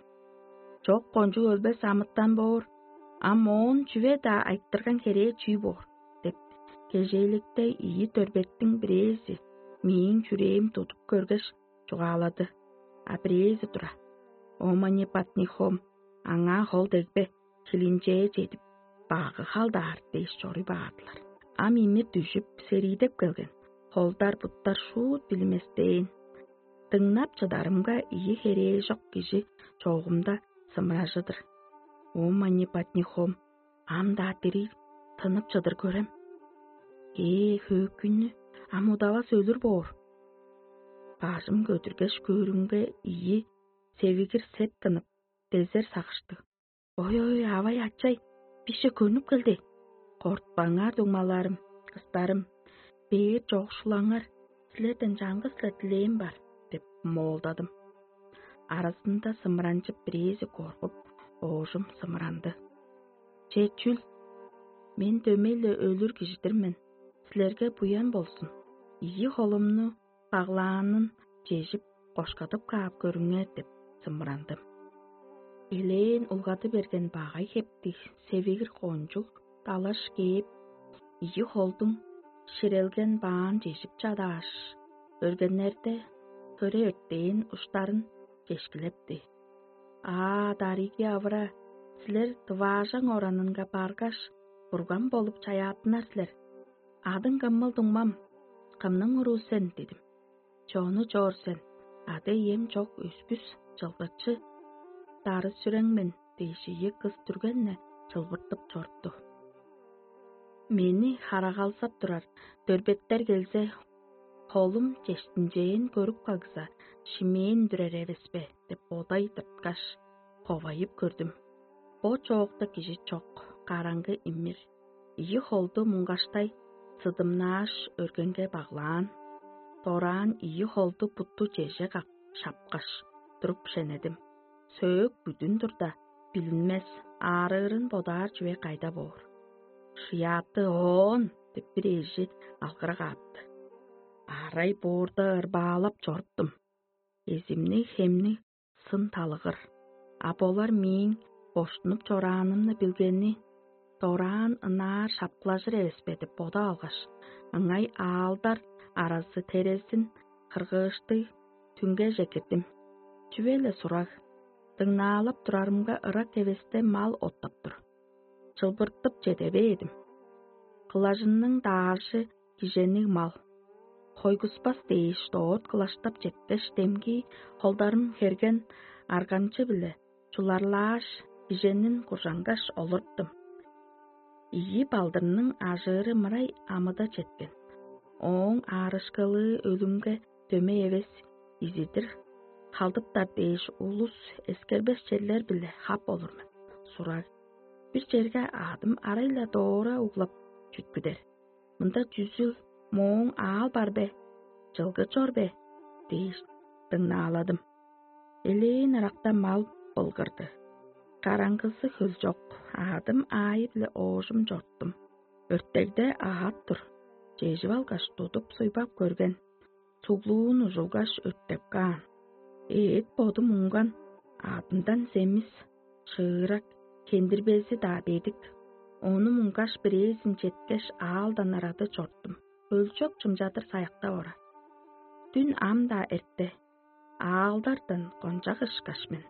Чок кончуг өлбес амытан боор, а моон чүве-даа айтырган херээ чүү боор? — деп, кежээликте ийи дөрбеттиң бирээзи мээң чүрээм тудуп көргеш, чугаалады. А бирээзи тура: «Омани патнихом, аңаа хол дегбе, хилинчээ чедип, багы халдаар» — дээш чоруй баадылар. Ам имир дүжүп, сериидеп келген, холдар-буттар шуут билиместээн. Дыңнап чыдарымга, ийи херээжок кижи чоогумда сымыражы-дыр. Омани патнихом, ам-даа дириг тынып чыдыр көрем. Ээ, хөөкүйнү, ам удавас өлүр боор. Бажым көдүргеш көөрүмге, ийи севигир сет тынып, дезер сагыштыг. «Ой-ой, авай-ачай, бисче көнүп келди. Кортпаңар, дуңмаларым, кыстарым, бээр чогушулаңар, силерден чаңгыс-ла дилээм бар» — деп моолдадым. Аразында сымыранчып бирээзи коргуп, оожум сымыранды. «Че, чүл? Мен дөмей-ле өлүр кижи-дир мен. Силерге буян болзун. Ийи холумну баглаанын чежип, кошкадып каап көрүңер» — деп сымырандым. Элээн улгады берген багай хептиг севигир кончуг далаш кээп, ийи холдуң ширелген баан чежип чадааш, өргеннерде хөре өртээн уштарын чешкилепти. Аа, дариги авыра, силер дываажаң оранынга баргаш, бурган болуп чаяаттынар силер. Адың кымыл дуңмам, кымның уруу сен дидим. Чону чоор сен, ада-ием чок өскүс чылгычы дары сүрең мен дээш ийи кыс түргенне чылбыртып чорупту. Мени харагалзап турар дөрбеттер келзе, холум чештинчээн көрүп кагза, шимээн үндүрер эвес бе деп бодай тырткаш, ховайып көрдүм. Бо чоокта кижи чок, караңгы имир. Ийи холду муңгаштай сыдымнааш, өргенге баглаан. Дораан ийи холду бутту чеже как шапкаш, туруп шенедим. Сөөк бүдүн турда, билинмес, аарыырын бодаар чүве кайда боор? Шыяаты оон деп бир эжи алгырак аапты. Арай боорда ырбаалап чоруптум. Эзимни хемни сын талыгыр. А болар мээң боштунуп чораанымны билгени, дораан ынаар шапкылажыр эвес бе деп бодап алгаш, ыңай аалдар аразы терезин кыргыыштыг түңгеже кирдим. Чүве-ле сураг, дыңнаалап турарымга ырак эвесте мал оттап тур. Чылбыртып чеде бээдим. Кылажынның дааржы киженик мал. Хойгуспас дээш доот кылаштап четкеш, демги холдарым херген арганчы-биле чуларлааш, киженин куржангаш олурттум. Ийи балдырның ажыыры мырай амыда четкен. Ооң аарышкылыы өлүмге дөмей эвес, изидир халдыптар дээш улус эскербес черлер-биле хап олур мен. Сураг: «Бир черге адым арай-ла доора углап чүткүдер. Мында чүзүл мооң аал бар бе? Чылгы чор бе?» – дээш дыңнааладым. Элээн ыракта мал былгырды. Караңгызы хөлчок, адым аайы-биле оожум чорттум. Өртегде аът тур. Чежип алгаш, тудуп суйбап көрген, суглуун ужулгаш, өртеп каан. Эът бодум уңган, адындан семис, шыырак, хендирбези-даа бедик. Ону муңгаш, бирээзин четкеш, аалдан ырады чорттум. Хөлчок чымчадыр саяктап ора. Дүн ам-даа эрте, аалдардан кончак ышкаш мен.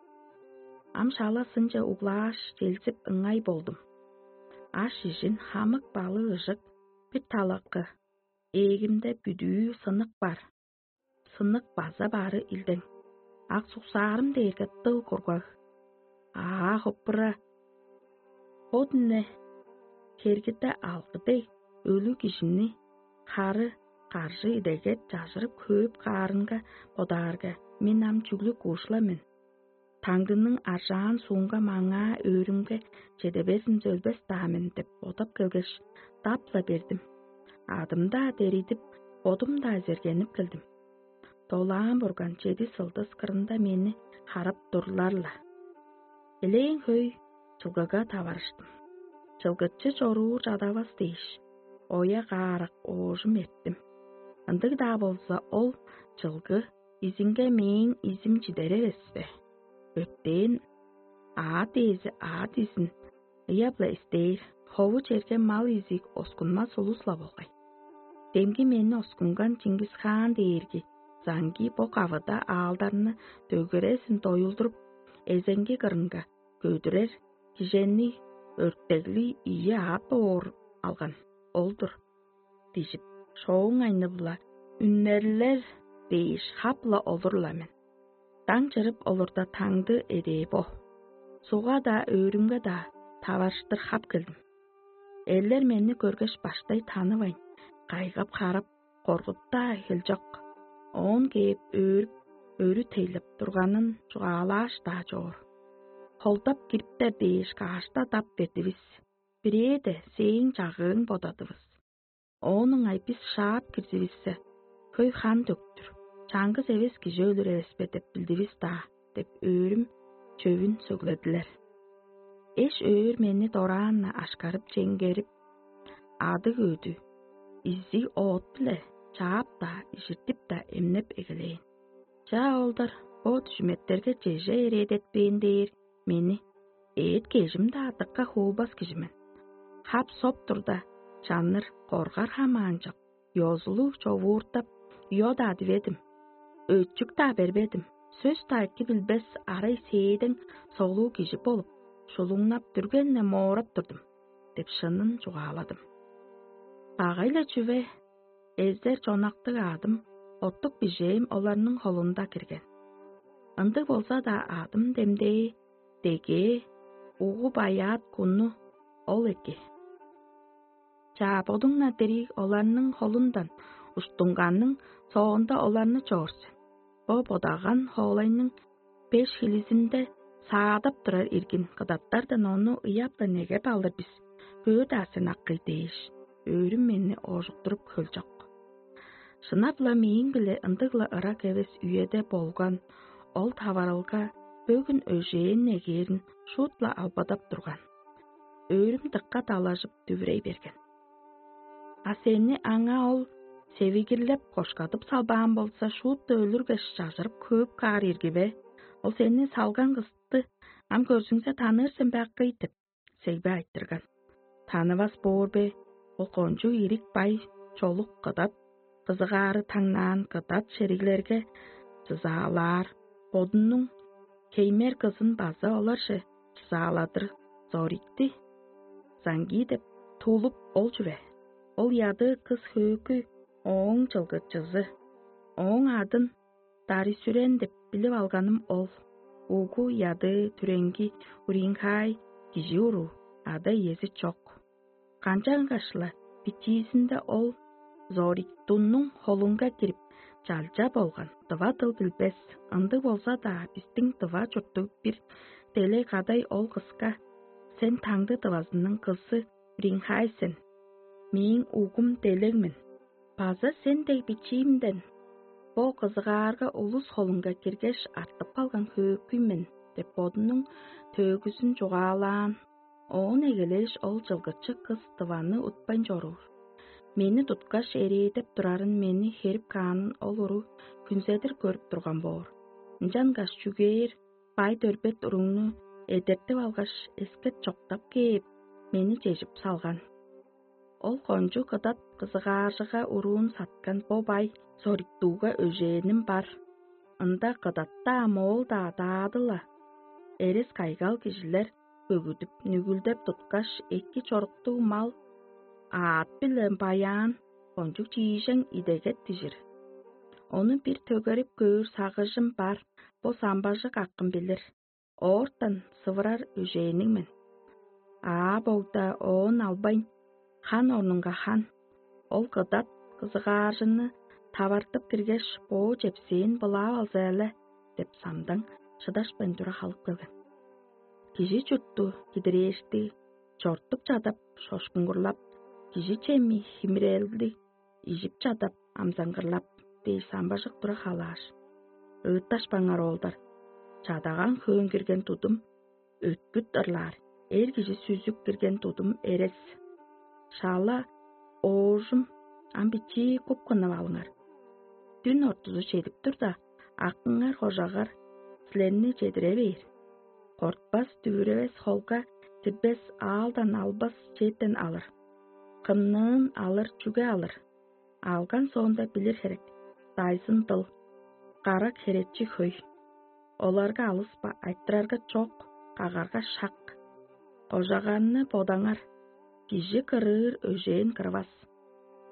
Ам шала сынче углааш, челзип ыңай болдум. Аш-ижин хамык балыы ыжык, бир талакы, ээгимде бүдүү сынык бар. Сынык база бары илдең. Ак суксаарым дээрге дыл кургаг. Аа, хоппура! Бо дүне хергиде алгы дег өлүг кижини хары каржы идегет чажырып хөөп каарынга бодаарга, мен ам чүглүг уушла мен. Таңдының аржаан суунга маңаа өөрүмге чеде безин өлбес-даа мен деп бодап келгеш, дап-ла бердим. Адым-даа деридип, бодум-даа зергенип келдим. Долаан бурган чеди сылдыс кырында мени харап турлар-ла. Элээн хөй чылгыга таварыштым. Чылгычы чоруур чадавас дээш, оя каарак оожум эрттим. Ындыг-даа болза, ол чылгы изинге мээң изим чидер эвес бе? Өттен аът ээзи аът изин ыяп-ла истээр, хову черге мал изиг оскунмас улус-ла болгай. Демги мени оскунган Чингис-хаан дээрги Заңги бо кавыда аалдарны дөгерезин доюлдуруп, эзеңги кырынга көдүрер кижени өртеглиг ийи аът боор алган ол-дур дижип, шооң айны-биле үннерлер дээш хап-ла олур-ла мен. Даң чырып олурда таңды эдээ бо. Сугга-даа, өөрүмге-даа таварыштыр хап келдим. Эрлер мени көргеш, баштай танывайн, кайгап-харап, коргуп-даа хел чок. Оон кээп өөрүп, өрү тейлеп турганын чугаалааш-даа чоор. Холдап кириптер дээш каашта дап бердивис. Бирээде сээң чагыың бодадывыс. Оон ыңай бис шаап кирзивиссе, хөй хан төктүр, чаңгыс эвес кижи өлүр эвес бе деп билдивис-даа деп өөрүм чөвүн сөгледилер. Эш өөр мени дораан-на ашкарып чеңгерип, адыг өдү, изиг оът-биле чаап-даа, ижиртип-даа эмнеп эгелээн. Чаа, оолдар, бо дүжүметтерге чеже эрээдетпээн дээр, мени, эът-кежим-даа дыка хуубас кижи мен. Хап-соп турда, чанныр коргар хамаанчок, ёзулуг човууртап, йо-даа диведим, өчүк-даа бербедим, сөс-даа эки билбес арай сээдең солуу кижи болуп, шулуңнап дүрген-не моорап турдум» — деп шынын чугааладым. Багай-ла чүве, эзер чонактыг аъдым, оттук бижээм оларның холунда кирген. Ындыг болза-даа, аъдым демдээ, дегээ, угу баяат кунну ол эки. Чаа, бодуң-на дириг оларның холундан уштуңганның соонда оларны чоор сен. Бо бодаган хоолайның беш хилизинде саадап турар иргин кыдаттардан ону ыяп-ла негеп алыр бис, көөр-даа сен, акый дээш, өөрүм мени оожуктуруп хөлчок. Шынап-ла мээң-биле ындыг-ла ырак эвес үеде болган ол таварылга бөгүн өжээн негээрин шуут-ла албадап турган. Өөрүм дыка далажып дүвүрей берген. А сени аңаа ол севигирлеп кошкадып салбаан болза, шуут-ла өлүргеш, чажырып хөөп каар ирги бе? Ол сени салган кысты ам көрзүңзе, таныыр сен бе, акый деп, сегбе айтырган. Танывас боор бе? Ол кончуг ирик бай чолук кыдат, кызыгаары таңнаан кыдат шериглерге чызаалаар, бодунуң хеймер кызын база оларже чызааладыр Зорикти Занги деп туулуп ол чүве. Ол ядыы кыс хөөкүй ооң чылгычызы. Ооң адын Дарисүрен деп билип алганым ол. Угу ядыы, түреңги, уринхай кижи уруу, ада-иези чок. Канчангаш-ла бичиизинде ол Зориктуннуң холунга кирип, чалча болган, дыва дыл билбес, ындыг болза-даа, бистиң дыва чурттуг бир делег кадай ол кыска: «Сен таңды дывазының кызы Уринхай сен, мээң угум делег мен. База сен дег бичиимден бо кызыгаарга улус холунга киргеш, артып калган хөөкүй мен» — деп бодунуң төөгүзүн чугаалаан. Оон эгелээш, ол чылгычы кыс дываны утпайн чоруур. Мени туткаш, эрээдеп турарын, мени херип каанын ол уруу хүнзедир көрүп турган боор. Ынчангаш чүгээр бай-дөрбет уругну эдертип алгаш, эскет чоктап кээп, мени чежип салган. Ол кончуг кыдат кызыгааржыга уруун саткан бо бай Зориктууга өжээним бар. Ында кыдат-даа, моол-даа, даады-ла. Эрес-кайгал кижилер бөгүдүп, нүгүлдеп туткаш, эки чоруктуг мал, аът биле баяан, кончуг чиижең идегет дижир. Ону бир төгерип көөр сагыжым бар, бо самбажык акым билир. Оортан сывырар өжээниң мен. Аа-богда оон албайн, хан орнунга хан, ол кыдат кызыгааржыны тавартып киргеш, боо чепсээн былаап алза-ла деп самдаң шыдашпайн тура халып келген. Кижи чуртту кидирээшти, чортуп чадап, шошкуңгурлап, кижи чеми химирээлди ижип чадап, амзаңгырлап дээш, самбажык тура халааш: «Ыытташпаңар, оолдар. Чадагаан хөөн кирген тудум өткүт ырлаар, эр кижи сүзүп кирген тудум эрес. Шала оожум ам бичии куп кынып алыңар. Дүн ортузу чедип турда, акыңар, кожагар силерни чедире бээр. Кортпас, дүвүревес, холга кирбес, аалдан албас чеден алыр. Кымныын алыр, чүге алыр? Алган соонда билир херек: дайзын дыл, карак херечи хөй. Оларга алыспа, айтырарга чок, кагарга шак. Кожаганны бодаңар, кижи кырыыр өжээн кырывас.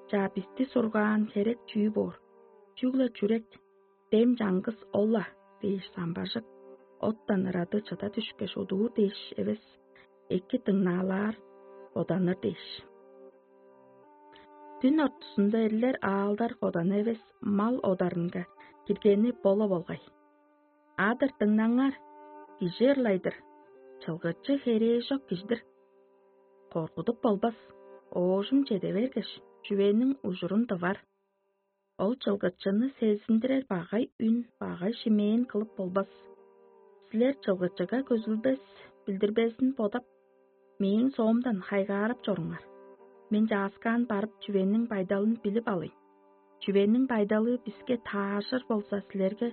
Чаа, бисти сургаан херек чүү боор? Чүгле чүрек, дем чаңгыс ол-ла» — дээш, самбажык оттан ырады чыда дүшкеш, удуур дээш эвес, эки дыңнаалаар, боданыр дээш. Дүн ортузунда эрлер аалдар коданы эвес, мал одарынга киргени бо-ла болгай. «Адыр, дыңнаңар, кижи ырлай-дыр, чылгычы херээжок кижи-дир. Коргудуп болбас, оожум чеде бергеш, чүвениң ужурун тывар. Ол чылгычыны сезиндирер багай үн, багай шимээн кылып болбас. Силер чылгычыга көзүлбес, билдирбезин бодап, мээң соомдан хайгаарап чоруңар. Мен чааскаан барып, чүвениң байдалын билип алыйн. Чүвениң байдалы биске тааржыр болза, силерге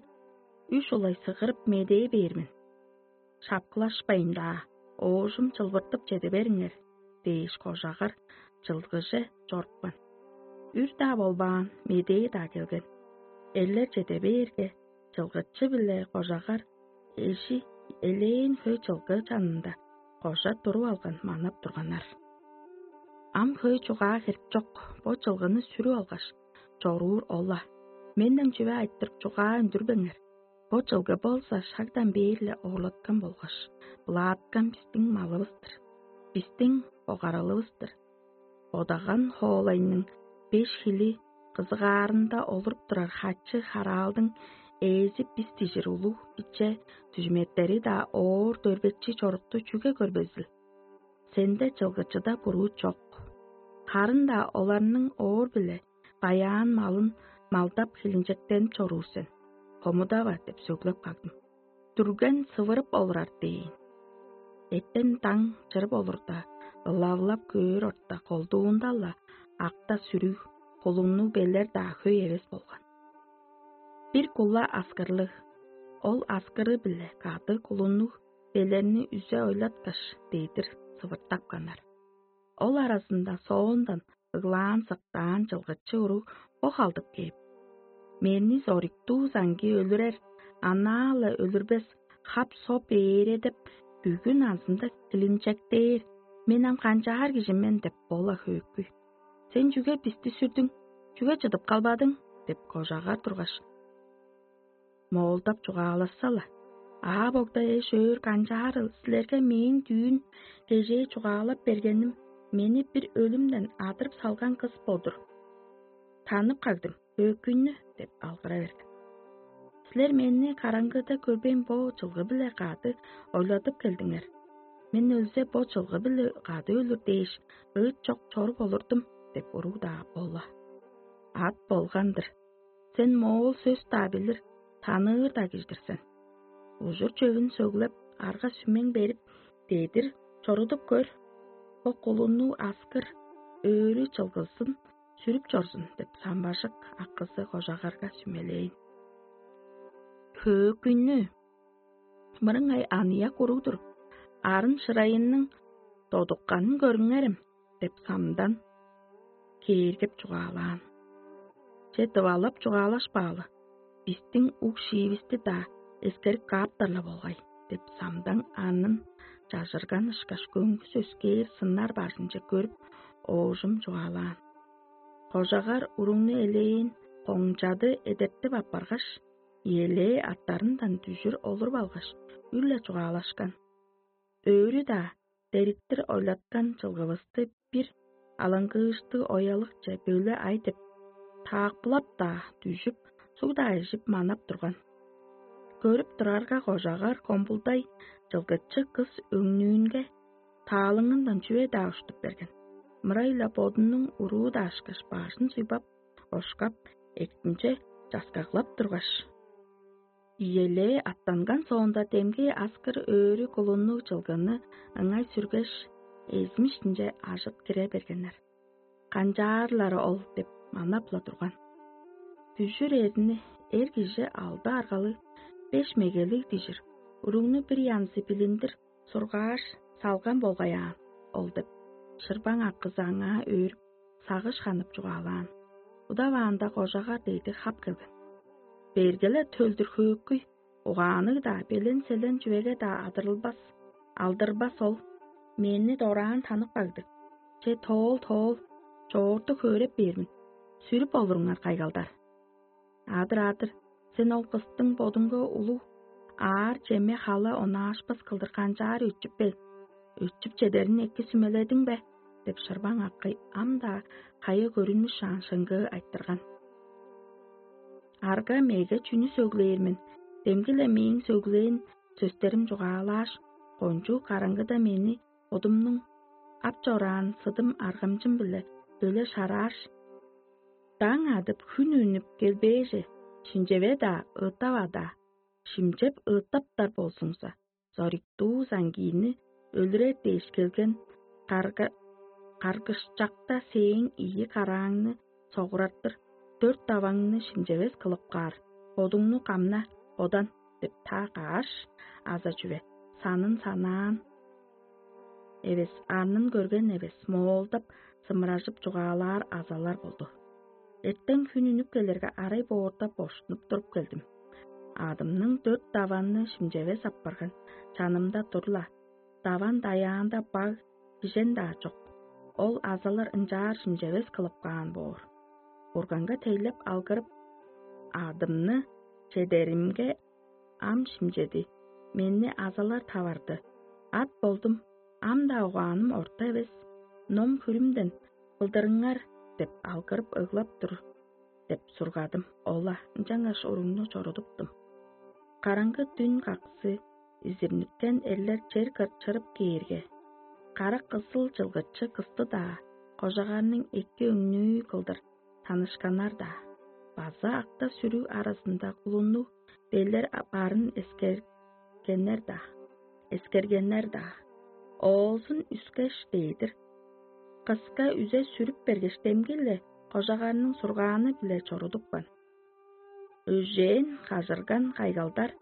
үш улай сыгырып медээ бээр мен». шапкылашпайн-даа, оожум чылбыртып чеде бериңер» – дээш, кожагар чылгыже чорупкан. Үр-даа болбаан, медээ-даа келген. Эрлер чеде бээрге, чылгычы-биле кожагар эжи элээн хөй чылгы чанында кожа туруп алган манап турганнар. Ам хөй чугаа херек чок, бо чылгыны сүрүп алгаш, чоруур ол-ла. Менден чүве айтырып, чугаа үндүрбеңер. Бо чылгы болза шагдан бээр-ле оорлаткан болгаш, былааткан бистиң малывыс-тыр, бистиң богаралывыс-тыр. Бодаган хоолайның беш хили кызыгаарында олуруп турар хачы-хараалдың ээзи бис дижир улуг иче дүжүметтери-даа оор дөрбечи чорукту чүге көрбезил? Сенде чылгычыда буруу чок. Харын-даа оларның оор-биле баяан малын малдап хилинчектенип чоруур сен. Хомудава деп сөглеп кагдым. Дүрген сывырып олурар дээн. Эттен даң чырып олурда, ылавылап көөр орта колдуунда-ла акта сүрүг, кулуннуг белер-даа хөй эвес болган. Бир кула аскырлыг, ол аскыры-биле кады кулуннуг белерни үзе ойлаткаш, дедир сывыртапканнар. Ол аразында соондан ыглаан-сыктаан чылгычы уруг бо халдып кээп: «Мени сориктуу саңгии өлүрер, анаа-ла өлүрбес, хап-соп ээредип, бүгү назымда хилинчектээр, мен ам канчаар кижи мен?» – деп бо-ла хөөкүй. «Сен чүге бисти сүрдүң? Чүге чыдып калбадың?» – деп кожагар тургаш, моолдап чугаалашса-ла: «Аа, богда эш-өөр, канчаарыл, силерге мээң дүүн кежээ чугаалап бергеним мени бир өлүмден адырып салган кыс болдур. Танып кагдым, хөөкүйнү» – деп алгыра берген. «Силер мени караңгыда көрбейн, бо чылгы-биле кады ойладып келдиңер. Мен өлзе, бо чылгы-биле кады өлүр дээш, ыыт чок чоруп олурдум» – деп уруг-даа бо-ла. «Ат болган-дыр. Сен моол сөс-даа билир, таныыр-даа кижи-дир сен. Ужур-чөвүн сөглеп, арга-сүмең берип, дедир чорудуп көр. Бо кулуннуг аскыр өөрү чылгызын сүрүп чорзун» – деп самбажык акызы кожагарга сүмелээн. «Хөөкүйнү, мырыңай аныяк уруг-дур, арын-шырайының додукканын көрүңерем» – деп самдан кээргеп чугаалаан. «Че, дывалап чугаалашпаалы, бистиң уг-шиивисти-даа эскерип кааптар-ла болгай» – деп самдан анын чажырган ышкаш көңгүс өскээр сыннар бажынче көрүп, оожум чугаалаан. Кожагар уругну элээн коңчады эдертип аппаргаш, иелээ аттарындан дүжүр олуруп алгаш, үр-ле чугаалашкан. Өөрү-даа дериктир ойлаткан чылгывысты бир алаңгыыштыг оялыкче бөле ай деп, таакпылап-даа дүжүп, суг-даа ижип манап турган. Көрүп турарга, кожагар комбулдай чылгычы кыс өңнүүнге таалыңындан чүве-даа уштуп берген. Мырай-ла бодунуң уруу-даа ышкаш бажын суйбап, ошкап, эктинче часкаглап тургаш, иелээ аттанган соонда, демги аскыр өөрү кулуннуг чылгыны ыңай сүргеш, эзим иштинче ажыт кире бергеннер. «Канчаарлары ол?» – деп манап-ла турган. «Дүжүр эрни эр кижи алды аргалыг, беш мегелиг дижир, уругну бир янзы билиндир сургааш салган болгай аан ол» – деп, шырбаң акызы аңаа өөрүп, сагыш ханып чугаалаан. Удаваанда кожагар дээди хап келген. «Берге-ле төлдүр хөөкүй, угаанныг-даа, белен-селен чүвеге-даа адырылбас, алдырбас ол. Мени дораан танып кагдыг. Че, тоол, тоол, чоорту хөөреп бээр мен. Сүрүп олуруңар кайгалдар». «Адыр, адыр, сен ол кыстың бодуңга улуг аар-чеме, хала онаашпас кылдыр канчаар өчүп бел? Өчүп чедерин эки сүмеледиң бе?» – деп шырбаң акый ам-даа кайы көрүнмүш шаан шыңгыы айтырган. «Арга-меге чүнү сөглээр мен, демги-ле мээң сөглээн сөстерим чугаалааш, кончуг караңгыда мени бодумнуң ап чораан сыдым аргамчым-биле бөле шарааш, даң адып, хүн үнүп келбээже, шимчеве-даа, ыыттава-даа, шимчеп ыыттаптар болзуңза, зориктуу саңгиини өлүрер дээш келген карга-, каргышчакта сээң ийи карааңны согурартыр, дөрт даваңны шимчевес кылып каар, бодуңну камна, бодан» – деп таа кааш, аза чүве. санын санаан эвес, арнын көрген эвес, моолдап, сымыражып чугаалаар азалар болду. Эртен хүн үнүп келерге, арай боорда боштунуп туруп келдим. Адымның дөрт даванны шимчевес апарган чанымда тур-ла, даван даяанда баг бижен-даа чок. Ол азалар ынчаар шимчевес кылып каан боор. Бурганга тейлеп алгырып, адымны чедеримге, ам шимчеди, мени азалар таварды. Ат болдум, ам-даа угааным орта эвес, ном-хүрүмден кылдырыңар деп алгырып ыглап тур деп сургадым. Ола ынчангаш уругну чорудуптум. Караңгы дүн каксы изирниктен эрлер чер кырчырып кээрге, кара кызыл чылгычы кысты-даа, кожагарның эки өңнүү кылдыр танышканнар-даа, база акта-сүрүг аразында кулуннуг белер барын эскергеннер-даа, эскергеннер-даа. Оозун үскеш дээдир, кыска үзе сүрүп бергеш, демги-ле кожагарның сургааны-биле чорудупкан. Өжээн кажырган кайгалдар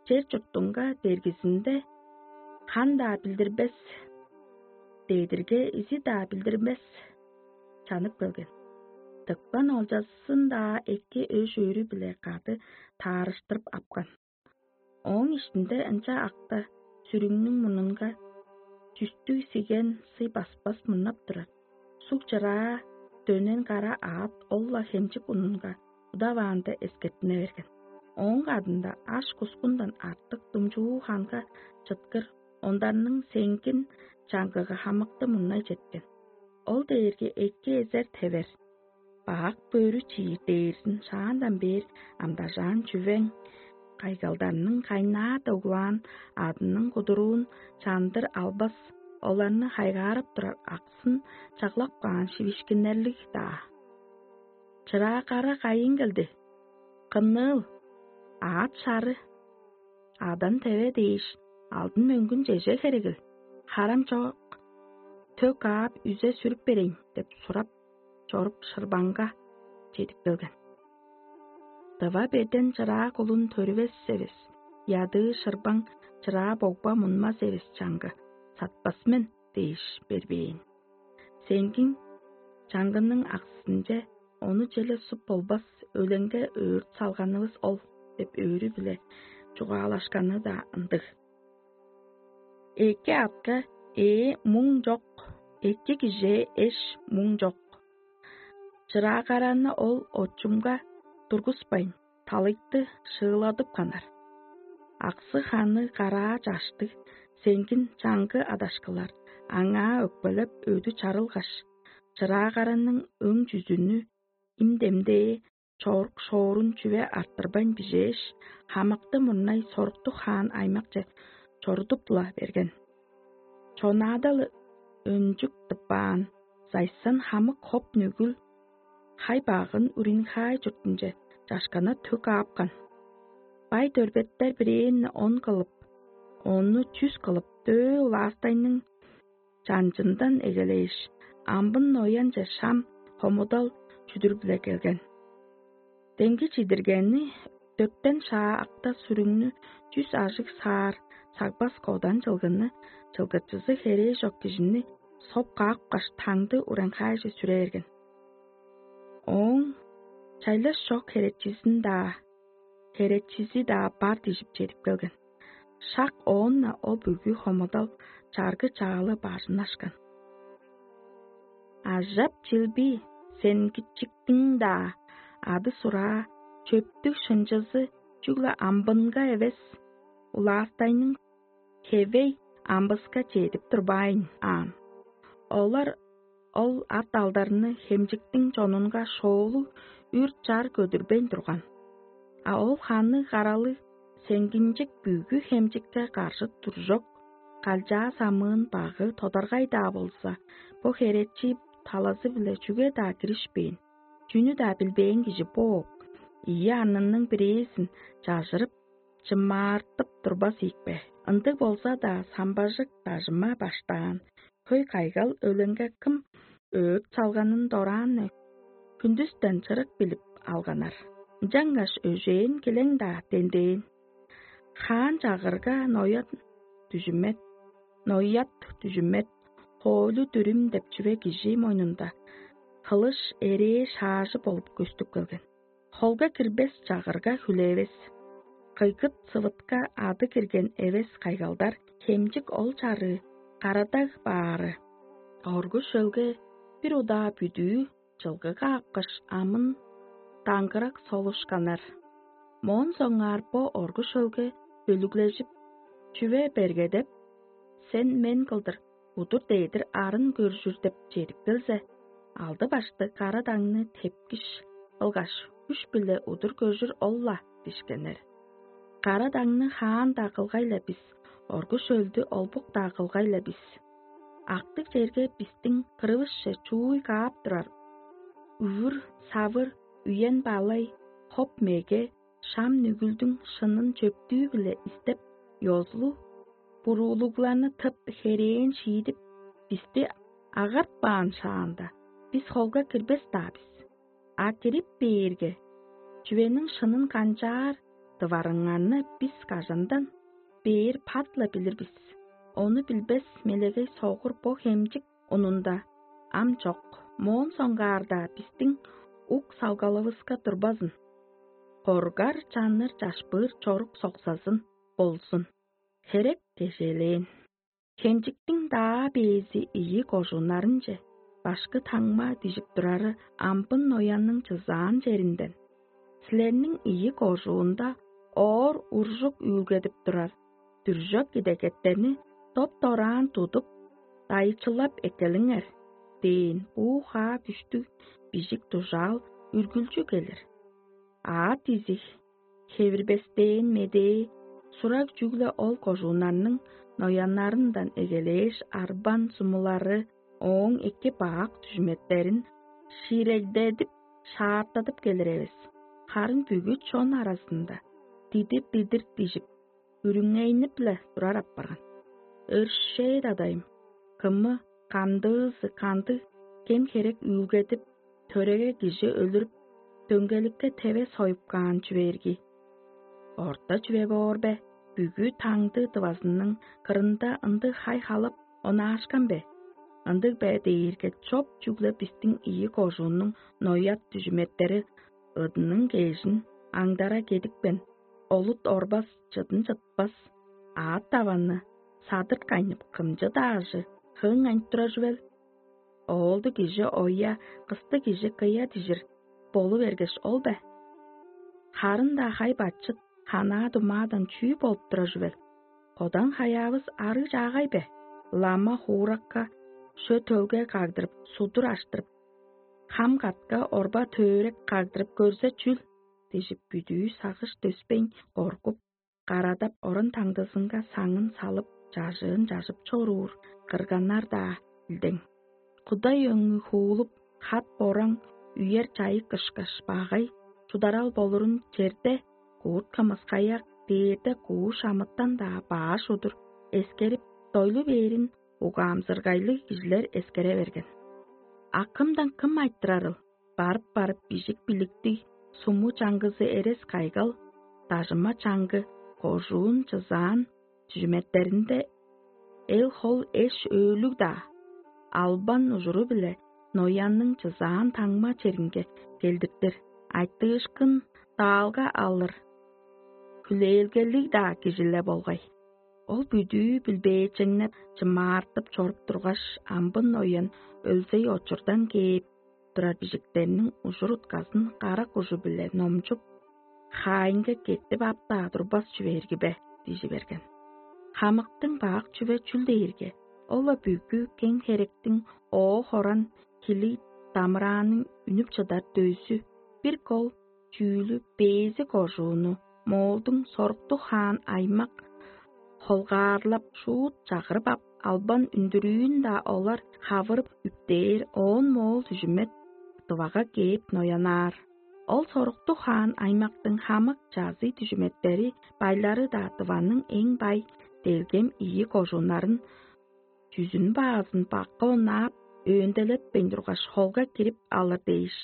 чер-чуртунга бергизинде хан-даа билдирбес, дедирге изи-даа билдирбес чанып келген. Тыпкан олчазын-даа эки өш-өөрү-биле кады таарыштырып апкан. Ооң иштинде ынча акта сүрүңнүң мурнунга чүстүг сиген сый баспас мурнап турар. Суг чыраа дөнен кара аът ол-ла хемчик унунга удаваанда эскертине берген. Ооң кадында аш-кускундан артык думчуу ханга чыткыр ондарның сеңгин чаңгыга хамыкты мурнай четкен. Ол дээрге эки эзер тевер, бак бөрү чиир дээрзин шаандан бээр амдажаан чүвең, кайгалдарның кайнаар доглаан адының кудуруун чандыр албас, оларны хайгаарап турар аксын чаглап каан шивишкиннерлиг-даа. Чыраа кара кайын келди? Кымныыл? Аът шары. Адан теве дээш, алдын мөңгүн чеже херегил? Харам чок, төк аап, үзе сүрүп берейн деп сурап чоруп, шырбаңга чедип келген. Дыва беден чыраа кулун төрүвес эвес, ядыы шырбаң чыраа богба мунмас эвес чаңгы, сатпас мен дээш бербээн. Сеңгиң чаңгының аксынче ону челе суп болбас, өленге өөрт салганывыс ол деп өөрү-биле чугаалашканы-даа ындыг. Эки атка ээ муң чок, эки кижээ эш муң чок. Чыраагараны ол очумга тургуспайн, талыйты шыыладып ханар. Аксы ханы караа чаштыг, сеңгин чаңгы адашкылар аңаа өкпелеп өдү чарылгаш, чыраагараның өң чүзүнү им демдээ чорук шоорун чүве арттырбайн бижээш, хамыкты мурнай соруктуг хаан аймакче чорудуп-ла берген. Чонаада-ла өнчүк тыппаан, зайсан хамык хоп-нүгүл хай-багын Уринхай чуртунче чашкана төк аапкан. Бай дөрбеттер бирээни он кылып, ону чүс кылып, дөө улаастайның чанчындан эгелээш, амбын ноянче шам хомудал чүдүр-биле келген. Демги чидиргени дөртен шаа акта сүрүңнү, чүс ажыг саар сагбас кодан чылгыны, чылгычызы херээ чок кижини соп каапкаш, таңды ураңхаайже сүрээрген. Ооң чайлаш чок херечизин-даа, херечизи-даа бар дижип чедип келген. Шак оон-на ол бүгү хомудал чаргы-чаалы бажыннашкан. Ажап-чилби сенгичиктиң-даа ады-сураа, чөптүг шынчызы чүгле амбынга эвес, улаастайның хевей амбыска чедип турбайн аан. Олар ол ат-алдарны хемчиктиң чонунга шоолуг үр-чар көдүрбейн турган. А ол ханы каралы сеңгинчек бүгү хемчикке каржы туржок, калчаа самыын багы тодаргай-даа болза, бо херечи талазы-биле чүге-даа киришпээн, чүнү-даа билбээн кижи бооп, ийи арнының бирээзин чажырып, чымаартып турбас ийикпе? Ындыг болза-даа, самбажык дажыма баштаан хөй кайгал өленге кым өөрт салганын дораан хүндүстен чырык билип алганнар. Ынчангаш өжээн килең-даа дендээн. Хаан чагырга ноян дүжүмет, ноят дүжүмет, хоолю дүрүм деп чүве кижи мойнунда хылыш эрээ шаажы болуп көстүп келген. Холга кирбес чагырга хүлээвес. Кыйгыт сывытка ады кирген эвес кайгалдар хемчик ол чарыы карадаг баары. Оргу шөлге бир удаа бүдүү чылгыга апкаш амын даңгырак солушканнар. Моон соңгаар бо оргу шөлге бөлүглежип, чүве бергедеп, сен мен кылдыр удур дээдир арын көржүр деп чедип келзе, алды башты кара даңны тепкиш кылгаш, үш биле удур көжүр ол-ла дишкеннер. Кара даңны хаан-даа кылгай-ла бис, оргу шөлдү олбук-даа кылгай-ла бис. Актыг черге бистиң кырывысче чууй каап турар. Үвүр, савыр, үен балай, хоп меге, шам нүгүлдүң шынын чөптүү-биле истеп, ёзулу буруулугларны тып херээн шиидип, бисти агартпаан шаанда, бис холга кирбес-даа бис. А кирип бээрге, чүвениң шынын канчаар дыварыңарны бис кажандан бээр пат-ла билир бис. Ону билбес мелегей согур бо хемчик унунда ам чок, моон соңгаарда бистиң ук салгалывыска турбазын. Коргар чанныр чашпыыр чорук соксазын болзун. Херек кежээлээн. Хемчиктиң даа бээзи ийи кожууннарынче башкы таңма дижип турары амбын ноянның чызаан черинден. Силерниң ийи кожуунда оор уржук үүлгедип турар дүржок идегеттерни доп-дораан тудуп, дайчылап эккелиңер дээн буу хаа бүштүг бижик дужаал үргүлчү келир. Аът изиг, хевирбестээн медээ, сураг чүгле ол кожууннарның нояннарындан эгелээш арбан сумулары ооң эки баак дүжүметтерин шиирегдедип, шаартадып келир эвес. Харын бүгү чон аразында дидир-дидир дижип, үрүңейнип-ле турар апарган. Өршээ дадайым, кымы, кандыызы, кандыг кем-херек үүлгедип, төреге кижи өлүрүп, дөңгеликке теве союп каан чүве ирги. Орта чүве боор бе, бүгү таңды дывазының кырында ындыг хай-халап онаашкан бе? Ындыг бе дээрге чоп чүгле бистиң ийи кожууннуң ноят дүжүметтери ыдының кежин аңдара кедипкен, олут орбас, чыдын чытпас, аът-даванны садырт кайнып, кымчы-даа ажы хыың айнып турар чүвел? Оолду кижи оя, кысты кижи кыя дижир болу бергеш ол бе? Харын-даа хай-бачыт ханаа-думаадан чүү болуп турар чүвел? Кодан хаяавыс арыг чаагай бе? Лама хууракка, шө төлге кагдырып, судур аштырып, хам катка орба төөрек кагдырып көрзе чүл? Дижип, бүдүү сагыш дөспейн коргуп, карадап, оран таңдызынга саңын салып, чажыын чажып чоруур кырганнар-даа илдең. Кудай өңү хуулуп, хат-бораң, үер чайык ышкаш багай чударал болурун черде куурт-кымыскаяк, дээрде кууш амытан-даа баш удур эскерип, дойлу бээрин угаамзыргайлыг кижилер эскере берген. А кымдан кым айтырарыл? Барып-барып бижик биликтиг, суму чаңгызы эрес кайгал, дажыма чаңгы, кожуун чызаан чүжүметтеринде эл-хол эш-өөлүг-даа, албан ужуру-биле ноянның чызаан таңма черинге келдиртир, айтыышкын даалга алыр, хүлээлгелиг-даа кижи-ле болгай. Ол бүдүү билбээчеңнеп, чымаартып чоруп тургаш, амбын ноян өлзей очурдан кээп турар бижиктерниң ужур-утказын карак ужу-биле номчуп, хаайынга кеттип ап-даа турбас чүве ирги бе? Дижи берген. Хамыктың бак чүве чүл дээрге, ол-ла бүгү кең херектиң оо хоран хилиг дамырааның үнүп чыдар дөзү, бир кол чүүлү бээзи кожууну, моолдуң соруктуг хаан аймак холгаарлап, шуут чагырып ап, албан үндүрүүн-даа олар хавырып үптээр, оон моол дүжүмет дывага кээп ноянаар. Ол соруктуг хаан аймактың хамык чазый дүжүметтери, байлары-даа дываның эң бай делгем ийи кожууннарын чүзүн-баазын бакка онаап, өөнделетпейн тургаш, холга кирип алыр дээш,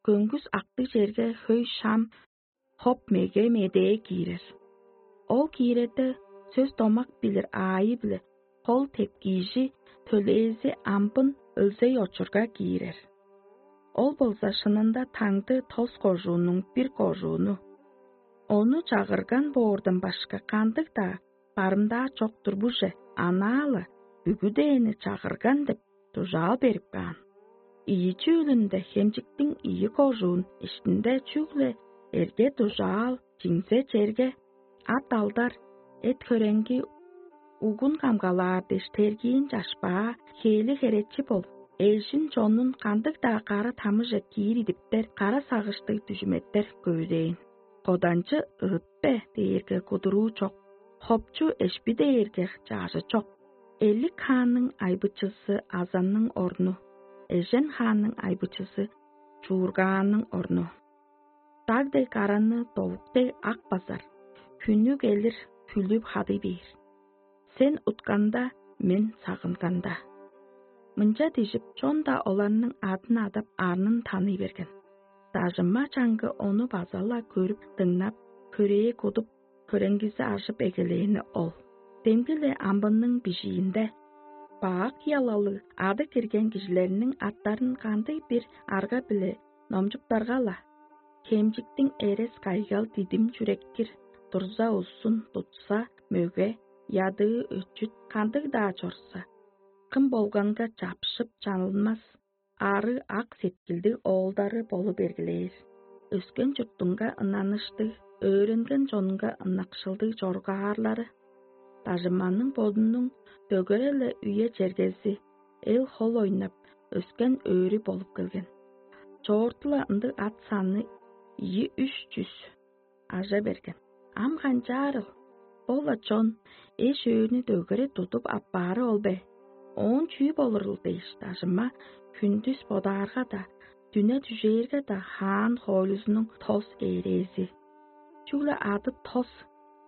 көңгүс актыг черге хөй шам, хоп меге медээ киирер. Ол кииреде сөс-домак билир аайы-биле хол тепкиижи төлээзи амбын өлзей очурга киирер. Ол болза шынында таңды тос кожуунуң бир кожууну. Ону чагырган боордан башка кандыг-даа барымдаа чок турбуже, анаа-ла бүгүдээни чагырган деп дужаал берип каан. Ийи чүүлүнде хемчиктиң ийи кожуун иштинде чүгле эрге-дужаал, чиңзе черге, ат-алдар, эт-хөреңги, угун камгалаар дээш тергиин чашпаа, хээли херечи болуп, эжин чонун кандыг-даа кара тамыже киир идиптер, кара сагыштыг дүжүметтер көвүдээн. Коданчы ыт бе дээрге кудуруу чок, хопчу эшпи дээрге чаажы чок. Элик хаанның айбычызы азанның орну, эжен хаанның айбычызы чуургаанның орну. Даг дег аранны довук дег ак базар, хүннү келир хүлүп хадый бээр. Сен утканда, мен сагынганда. Мынча дижип, чон-даа оларның адын адап, арнын таный берген. Дажынма чаңгы ону база-ла көрүп, дыңнап, хөрээ кудуп, хөреңгизи ажып эгелээни ол. Демги-ле амбынның бижиинде бак ялалыг ады кирген кижилерниң аттарын кандыг-бир арга-биле номчуптарга-ла, хемчиктиң эрес-кайгал дидим чүреккир, дурза узун, тутса мөге, ядыы өчүт кандыг-даа чорза, кым болганга чапшып чанылмас, ары ак сеткилдиг оолдары болу бергилээр. Өскен чуртунга ыннаныштыг, өөренген чонунга ынакшылдыг чоргаарлары, дажыманның бодунуң дөгере-ле үе-чергези, эл-хол ойнап, өскен өөрү болуп келген. Чоорту-ла ындыг ат саны ийи-үш чүс ажа берген. Ам канчаарыл? Ол-ла чон эш-өөрүнү дөгере тудуп аппаары ол бе? Оон чүү болурул дээш, дажыма хүндүс бодаарга-даа, дүне дүжээрге-даа хаан хоойлузунуң тос ээрээзи. Чүгле ады тос,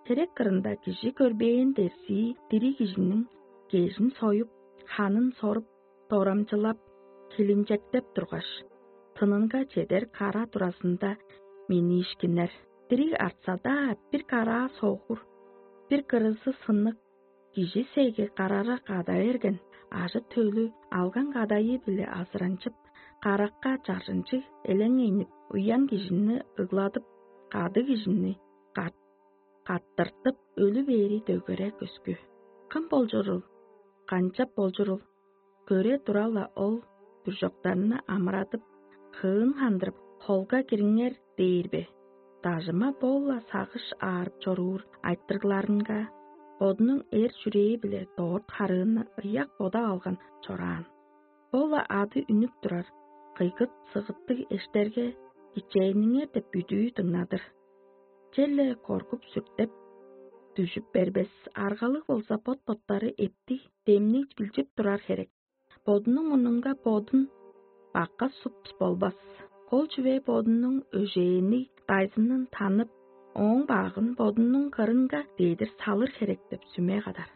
херек кырында кижи көрбээн дерзии дириг кижиниң кежин союп, ханын соруп, дорамчылап, хилинчектеп тургаш, тынынга чедер кара туразында миниишкиннер. Дириг артса-даа, бир караа согур, бир кырызы сынныг, кижи сеги карара када берген, ажы-төлү алган кадайы-биле азыранчып, каракка чаржынчыг элеңейнип, уян кижини ыгладып, кады кижини кат каттыртып, өлү бээри дөгере көскү. Кым болчурул? Канчап болчурул? Көре тура-ла ол бүржоктарны амырадып, хыын хандырып, холга кириңер дээр бе? Дажыма бо-ла сагыш аарып чоруур айтырыгларынга, бодунуң эр-чүрээ-биле дорт харыыны ыяк бодап алган чораан. Бо-ла ады үнүп турар кыйгыт-сыгыттыг эштерге кичээниңер деп бүдүү дыңнадыр. Черле коргуп-сүртеп, дүжүп бербес, аргалыг болза бот-боттары эптиг, демниг билчип турар херек. Бодунуң мурнунга бодун бакка суп болбас. Кол чүве бодунуң өжээни дайзынын танып, ооң багын бодунуң кырынга дедир салыр херек деп сүме кадар.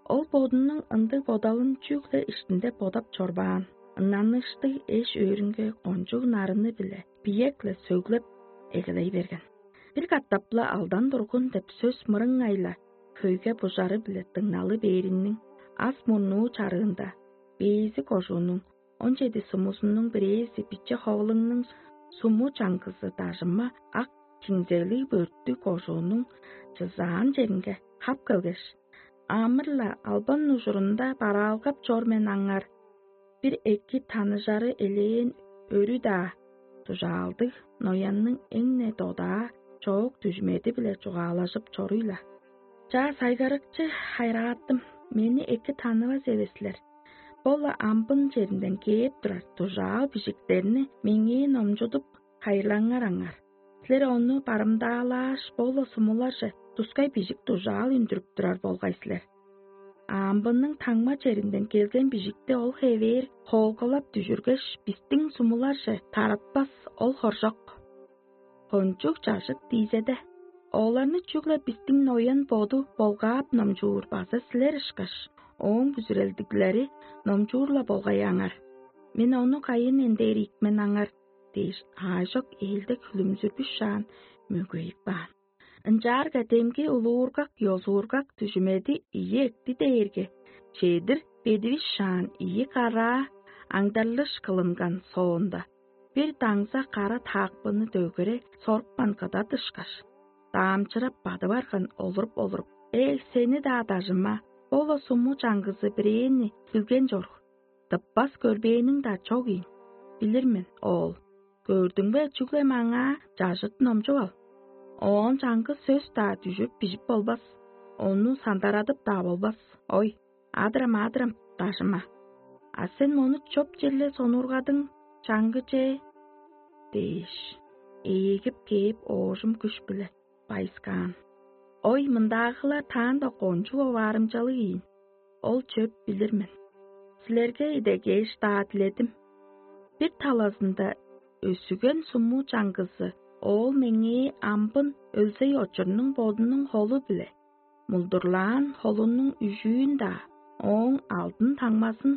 Ол бодунуң ындыг бодалын чүгле иштинде бодап чорбаан, ыннаныштыг эш-өөрүнге кончуг нарыны-биле биек-ле сөглеп эгелей берген. Бир катап-ла алдан тургун деп сөс мырыңай-ла хөйге бужары-биле дыңналы бээриниң ас мурнуу чарыында бээзи кожуунуң он чеди сумузунуң бирээзи биче ховулуңнуң суму чаңгызы дажыма ак чиңзелиг бөрттүг кожуунуң чызаан черинге хап келгеш: «Амыр-ла албан ужурунда бараалгап чор мен аңар, бир эки таныжары элээн өрү-даа, дужаалдыг ноянның эң-не додаа чоок дүжмеди-биле чугаалажып чоруй-ла. Чаа, сайгарыкчы хайрааттым, мени эки таныывас эвес силер. Бо-ла амбын черинден кээп турар дужаал бижиктерни меңээ номчудуп, хайырлаңар аңар. Силер ону барымдаалааш, бо-ла сумуларже тускай бижик дужаал үндүрүп турар болгай силер. Амбынның таңма черинден келген бижикти ол хевээр хоолгалап дүжүргеш, бистиң сумуларже таратпас ол хоржок. Кончуг чажыт диизеде, оларны чүгле бистиң ноян боду болгаап номчуур база силер ышкаш, ооң бүзүрелдиглери номчуур-ла болгай аңар. Мен ону кайын эндээр ийик мен аңар» дээш, аажок ээлдек хүлүмзүрбүшаан мөгейип каан. Ынчаарга демги улуургак-ёзуургак дүжүмеди ийи экти дээрге, чедир бедивис шаан ийи караа аңдарлыш кылынган соонда, бир даңза кара таакпыны дөгере сорупкан кыдат ышкаш, даамчырап бады барган олуруп-олуруп: «Эй, сени-даа дажыма, бо-ла суму чаңгызы бирээни билген чорук, тыппас көрбээниң-даа чок ийин. Билир мен, оол. Көрдүң бе, чүгле маңаа чажыт номчуп ал. Оон чаңгыс сөс-даа дүжүп бижип болбас, ону сандарадып-даа болбас. Ой, адырам, адырам, дажыма. А сен мону чоп черле сонуургадың, чаңгы че?» – дээш, эгип кээп, оожум күш-биле байыскаан. Ой, мындаагылар таанда кончуг оваарымчалыг ийин. Ол чөп билир мен. Силерге идегеш-даа диледим. Бир талазында өсүген суму чаңгызы оол меңээ амбын өлзей очурунуң бодунуң холу-биле, мулдурлаан холунуң үжүүн-даа, ооң алдын таңмазын,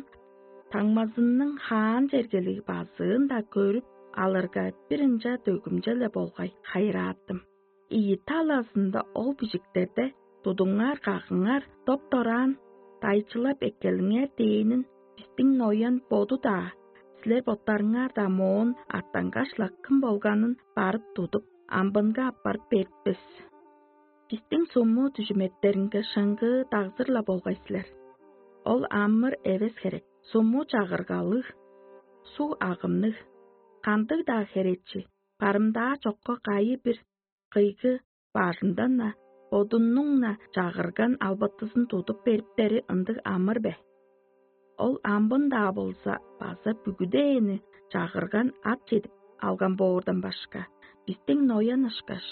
таңмазының хаан чергелиг базыын-даа көрүп алырга, бир ынча дөгүмче-ле болгай хайырааттым. Ийи талазында ол бижиктерде: «Тудуңар, кагыңар, доп-дораан дайчылап эккелиңер» – дээнин, бистиң ноян боду-даа, силер боттарыңар-даа моон артангаш-ла кым болганын барып тудуп, амбынга аппарып бериппес. Бистиң суму дүжүметтеринге шыңгыы дагзыр-ла болгай силер. Ол амыр эвес херек, суму чагыргалыг, суг агымныг, кандыг-даа херечи, барымдаа чокка кайы-бир кыйгы бажындан-на, бодунуң-на чагырган албатызын тудуп бериптери ындыг амыр бе? Ол амбын-даа болза база бүгүдээни чагырган ат чедип алган боордан башка, бистиң ноян ышкаш,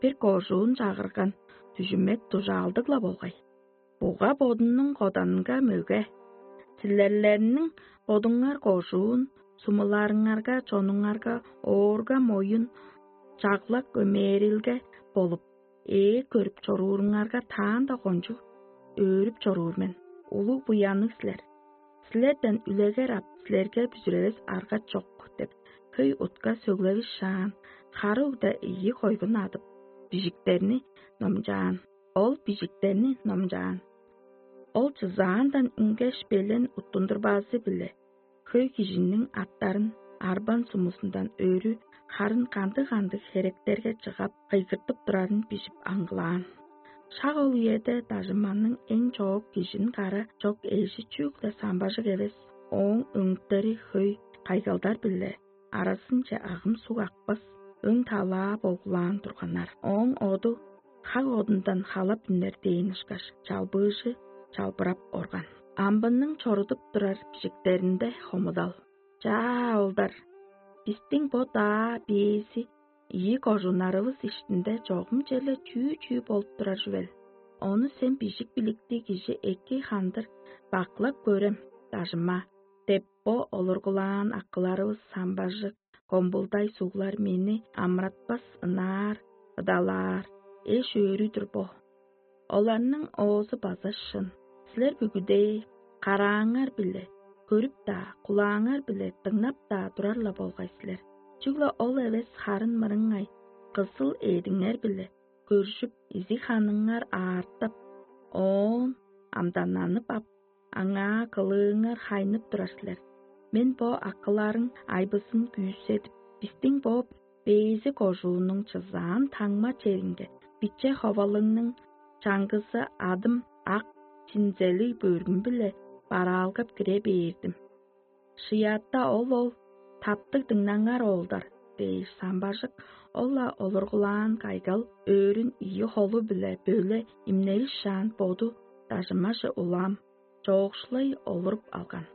бир кожуун чагырган дүжүмет дужаалдыг-ла болгай. Буга бодунуң коданынга мөге. Силерлерниң бодуңар кожуун, сумуларыңарга, чонуңарга оорга моюн, чаглак өмээрилге болуп, ээ көрүп чорууруңарга таанда кончуг өөрүп чоруур мен, улуг буянныг силер. Силерден үлегер ап, силерге бүзүревес арга чок деп, хөй утка сөглевишаан, хары угда ийи койгун адып, бижиктерни номчаан. Ол бижиктерни номчаан. Ол чызаандан үнгеш, белен уттундурбазы-биле хөй кижиниң аттарын арбан сумузундан өрү харын кандыг-кандыг херектерге чыгап, кыйгыртып турарын бижип аңгылаан. Шак ол үеде дажыманның эң чоок кижин кара чок эжи чүгле самбажык эвес, ооң өңүттери хөй кайгалдар-биле аразынче агым суг акпас өң талаа боглаан турганнар. Ооң оду хак одундан халап үнер дээн ышкаш, чалбыыжы чалбырап орган. Амбынның чорудуп турар бижиктеринде хомудал: «Чаа, оолдар, бистиң бо даа бээзи ийи кожууннарывыс иштинде чогум черле чүү-чүү болуп турар чүвел? Ону сен бижик биликтиг кижи эки хандыр бакылап көрем, дажыма» – деп, бо олургулаан акыларывыс самбажык, комбулдай суглар мени амыратпас ынаар, ыдалаар, эш-өөрү-дүр бо. Оларның оозу база шын. Силер бүгүдээ карааңар-биле көрүп-даа, кулааңар-биле дыңнап-даа турар-ла болгай силер. Чүгле ол эвес харын мырыңай кызыл эъдиңер-биле көржүп, изиг-ханыңар аартып, оон амдананып ап, аңаа кылыыңар хайнып турар силер. Мен бо акыларың айбызын күүседип, бистиң бо бээзи кожууннуң чызаан таңма черинге биче ховалыңның чаңгызы адым ак чинзелиг бөргүм-биле бараалгап кире бээрдим. Шыятта ол-ол: «Таптыг дыңнаңар, оолдар» – дээш, самбажык ол-ла олургулаан кайгал өөрүн ийи холу-биле бөле имневишаан, боду дажымаже улам чоокшулай олуруп алган.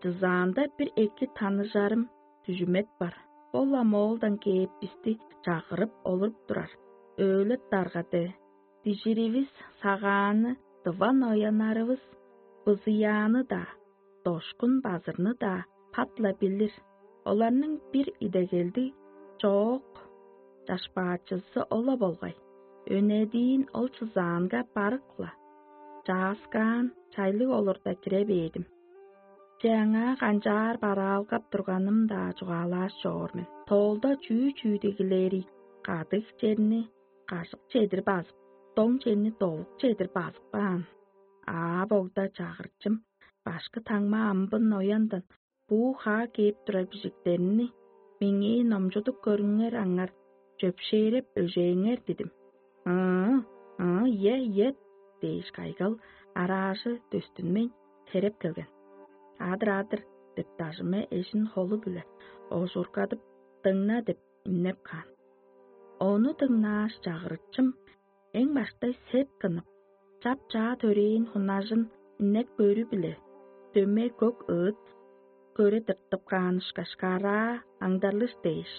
Дызаанда бир эки таныжарым дүжүмет бар. Ол-ла моолдан кээп бисти чагырып олуруп турар. Өөлеп даргады, дижиривис сагааны, дыван ояннарывыс бызыяаны-даа, дошкун базырны-даа пат-ла билир. Оларның бир идегелдиг чоок чашпаачызы ол-ла болгай. Өнедиин ол чызаанга барык-ла чааскаан чайлыг олурда кире бээдим. Че аңаа канчаар бараалгап турганым-даа чугаалааш чоор мен. Тоолда чүү-чүү дигилээри, кадыг черни, кажык чедир базып, доң чемни довук чедир базып каан. Аа, богда чагырчым, башкы таңма амбын нояндан буу хаа кээп турар бижиктерни меңээ номчудуп көрүңер аңар, чөпшээреп өжээңер дидим. Ыы, ыы, ийе, ийе дээш кайгал араажы дөстүнмейн хереп келген. Адыр-адыр деп дажыма эжин холу-биле ожургадып, дыңна деп иннеп каан. Ону дыңнааш, чагырыкчым эң баштай сеп кынып, чап-чаа төрээн хунажын иннек бөрү-биле дөмей көк ыыт көре тыртып каан ышкаш караа аңдарлыш дээш,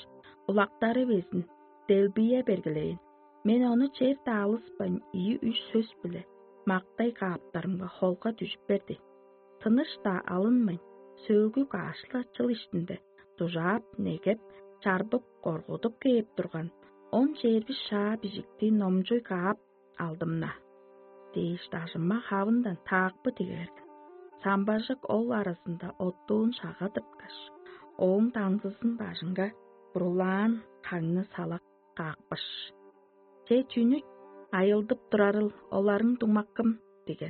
улактары безин делбие бергилээн. Мен ону чер-даа алыспайн, ийи-үш сөс-биле мактай кааптарымга холга дүжүп берди. Тыныш-даа алынмайн, сөөлгү каашла чыл иштинде дужаап, негеп, чарбып, коргудуп кээп турган он чээрби шаа бижикти номчуй каап алдым-на дээш, дажыма хавындан таакпы тиге берген. Самбажык ол аразында оттуун шага тырткаш, ооң даңзызын бажынга бурулаан хаңны салак каапкаш: «Че чүнү айылдып турарыл, оларың дуңмаккым?» – диген.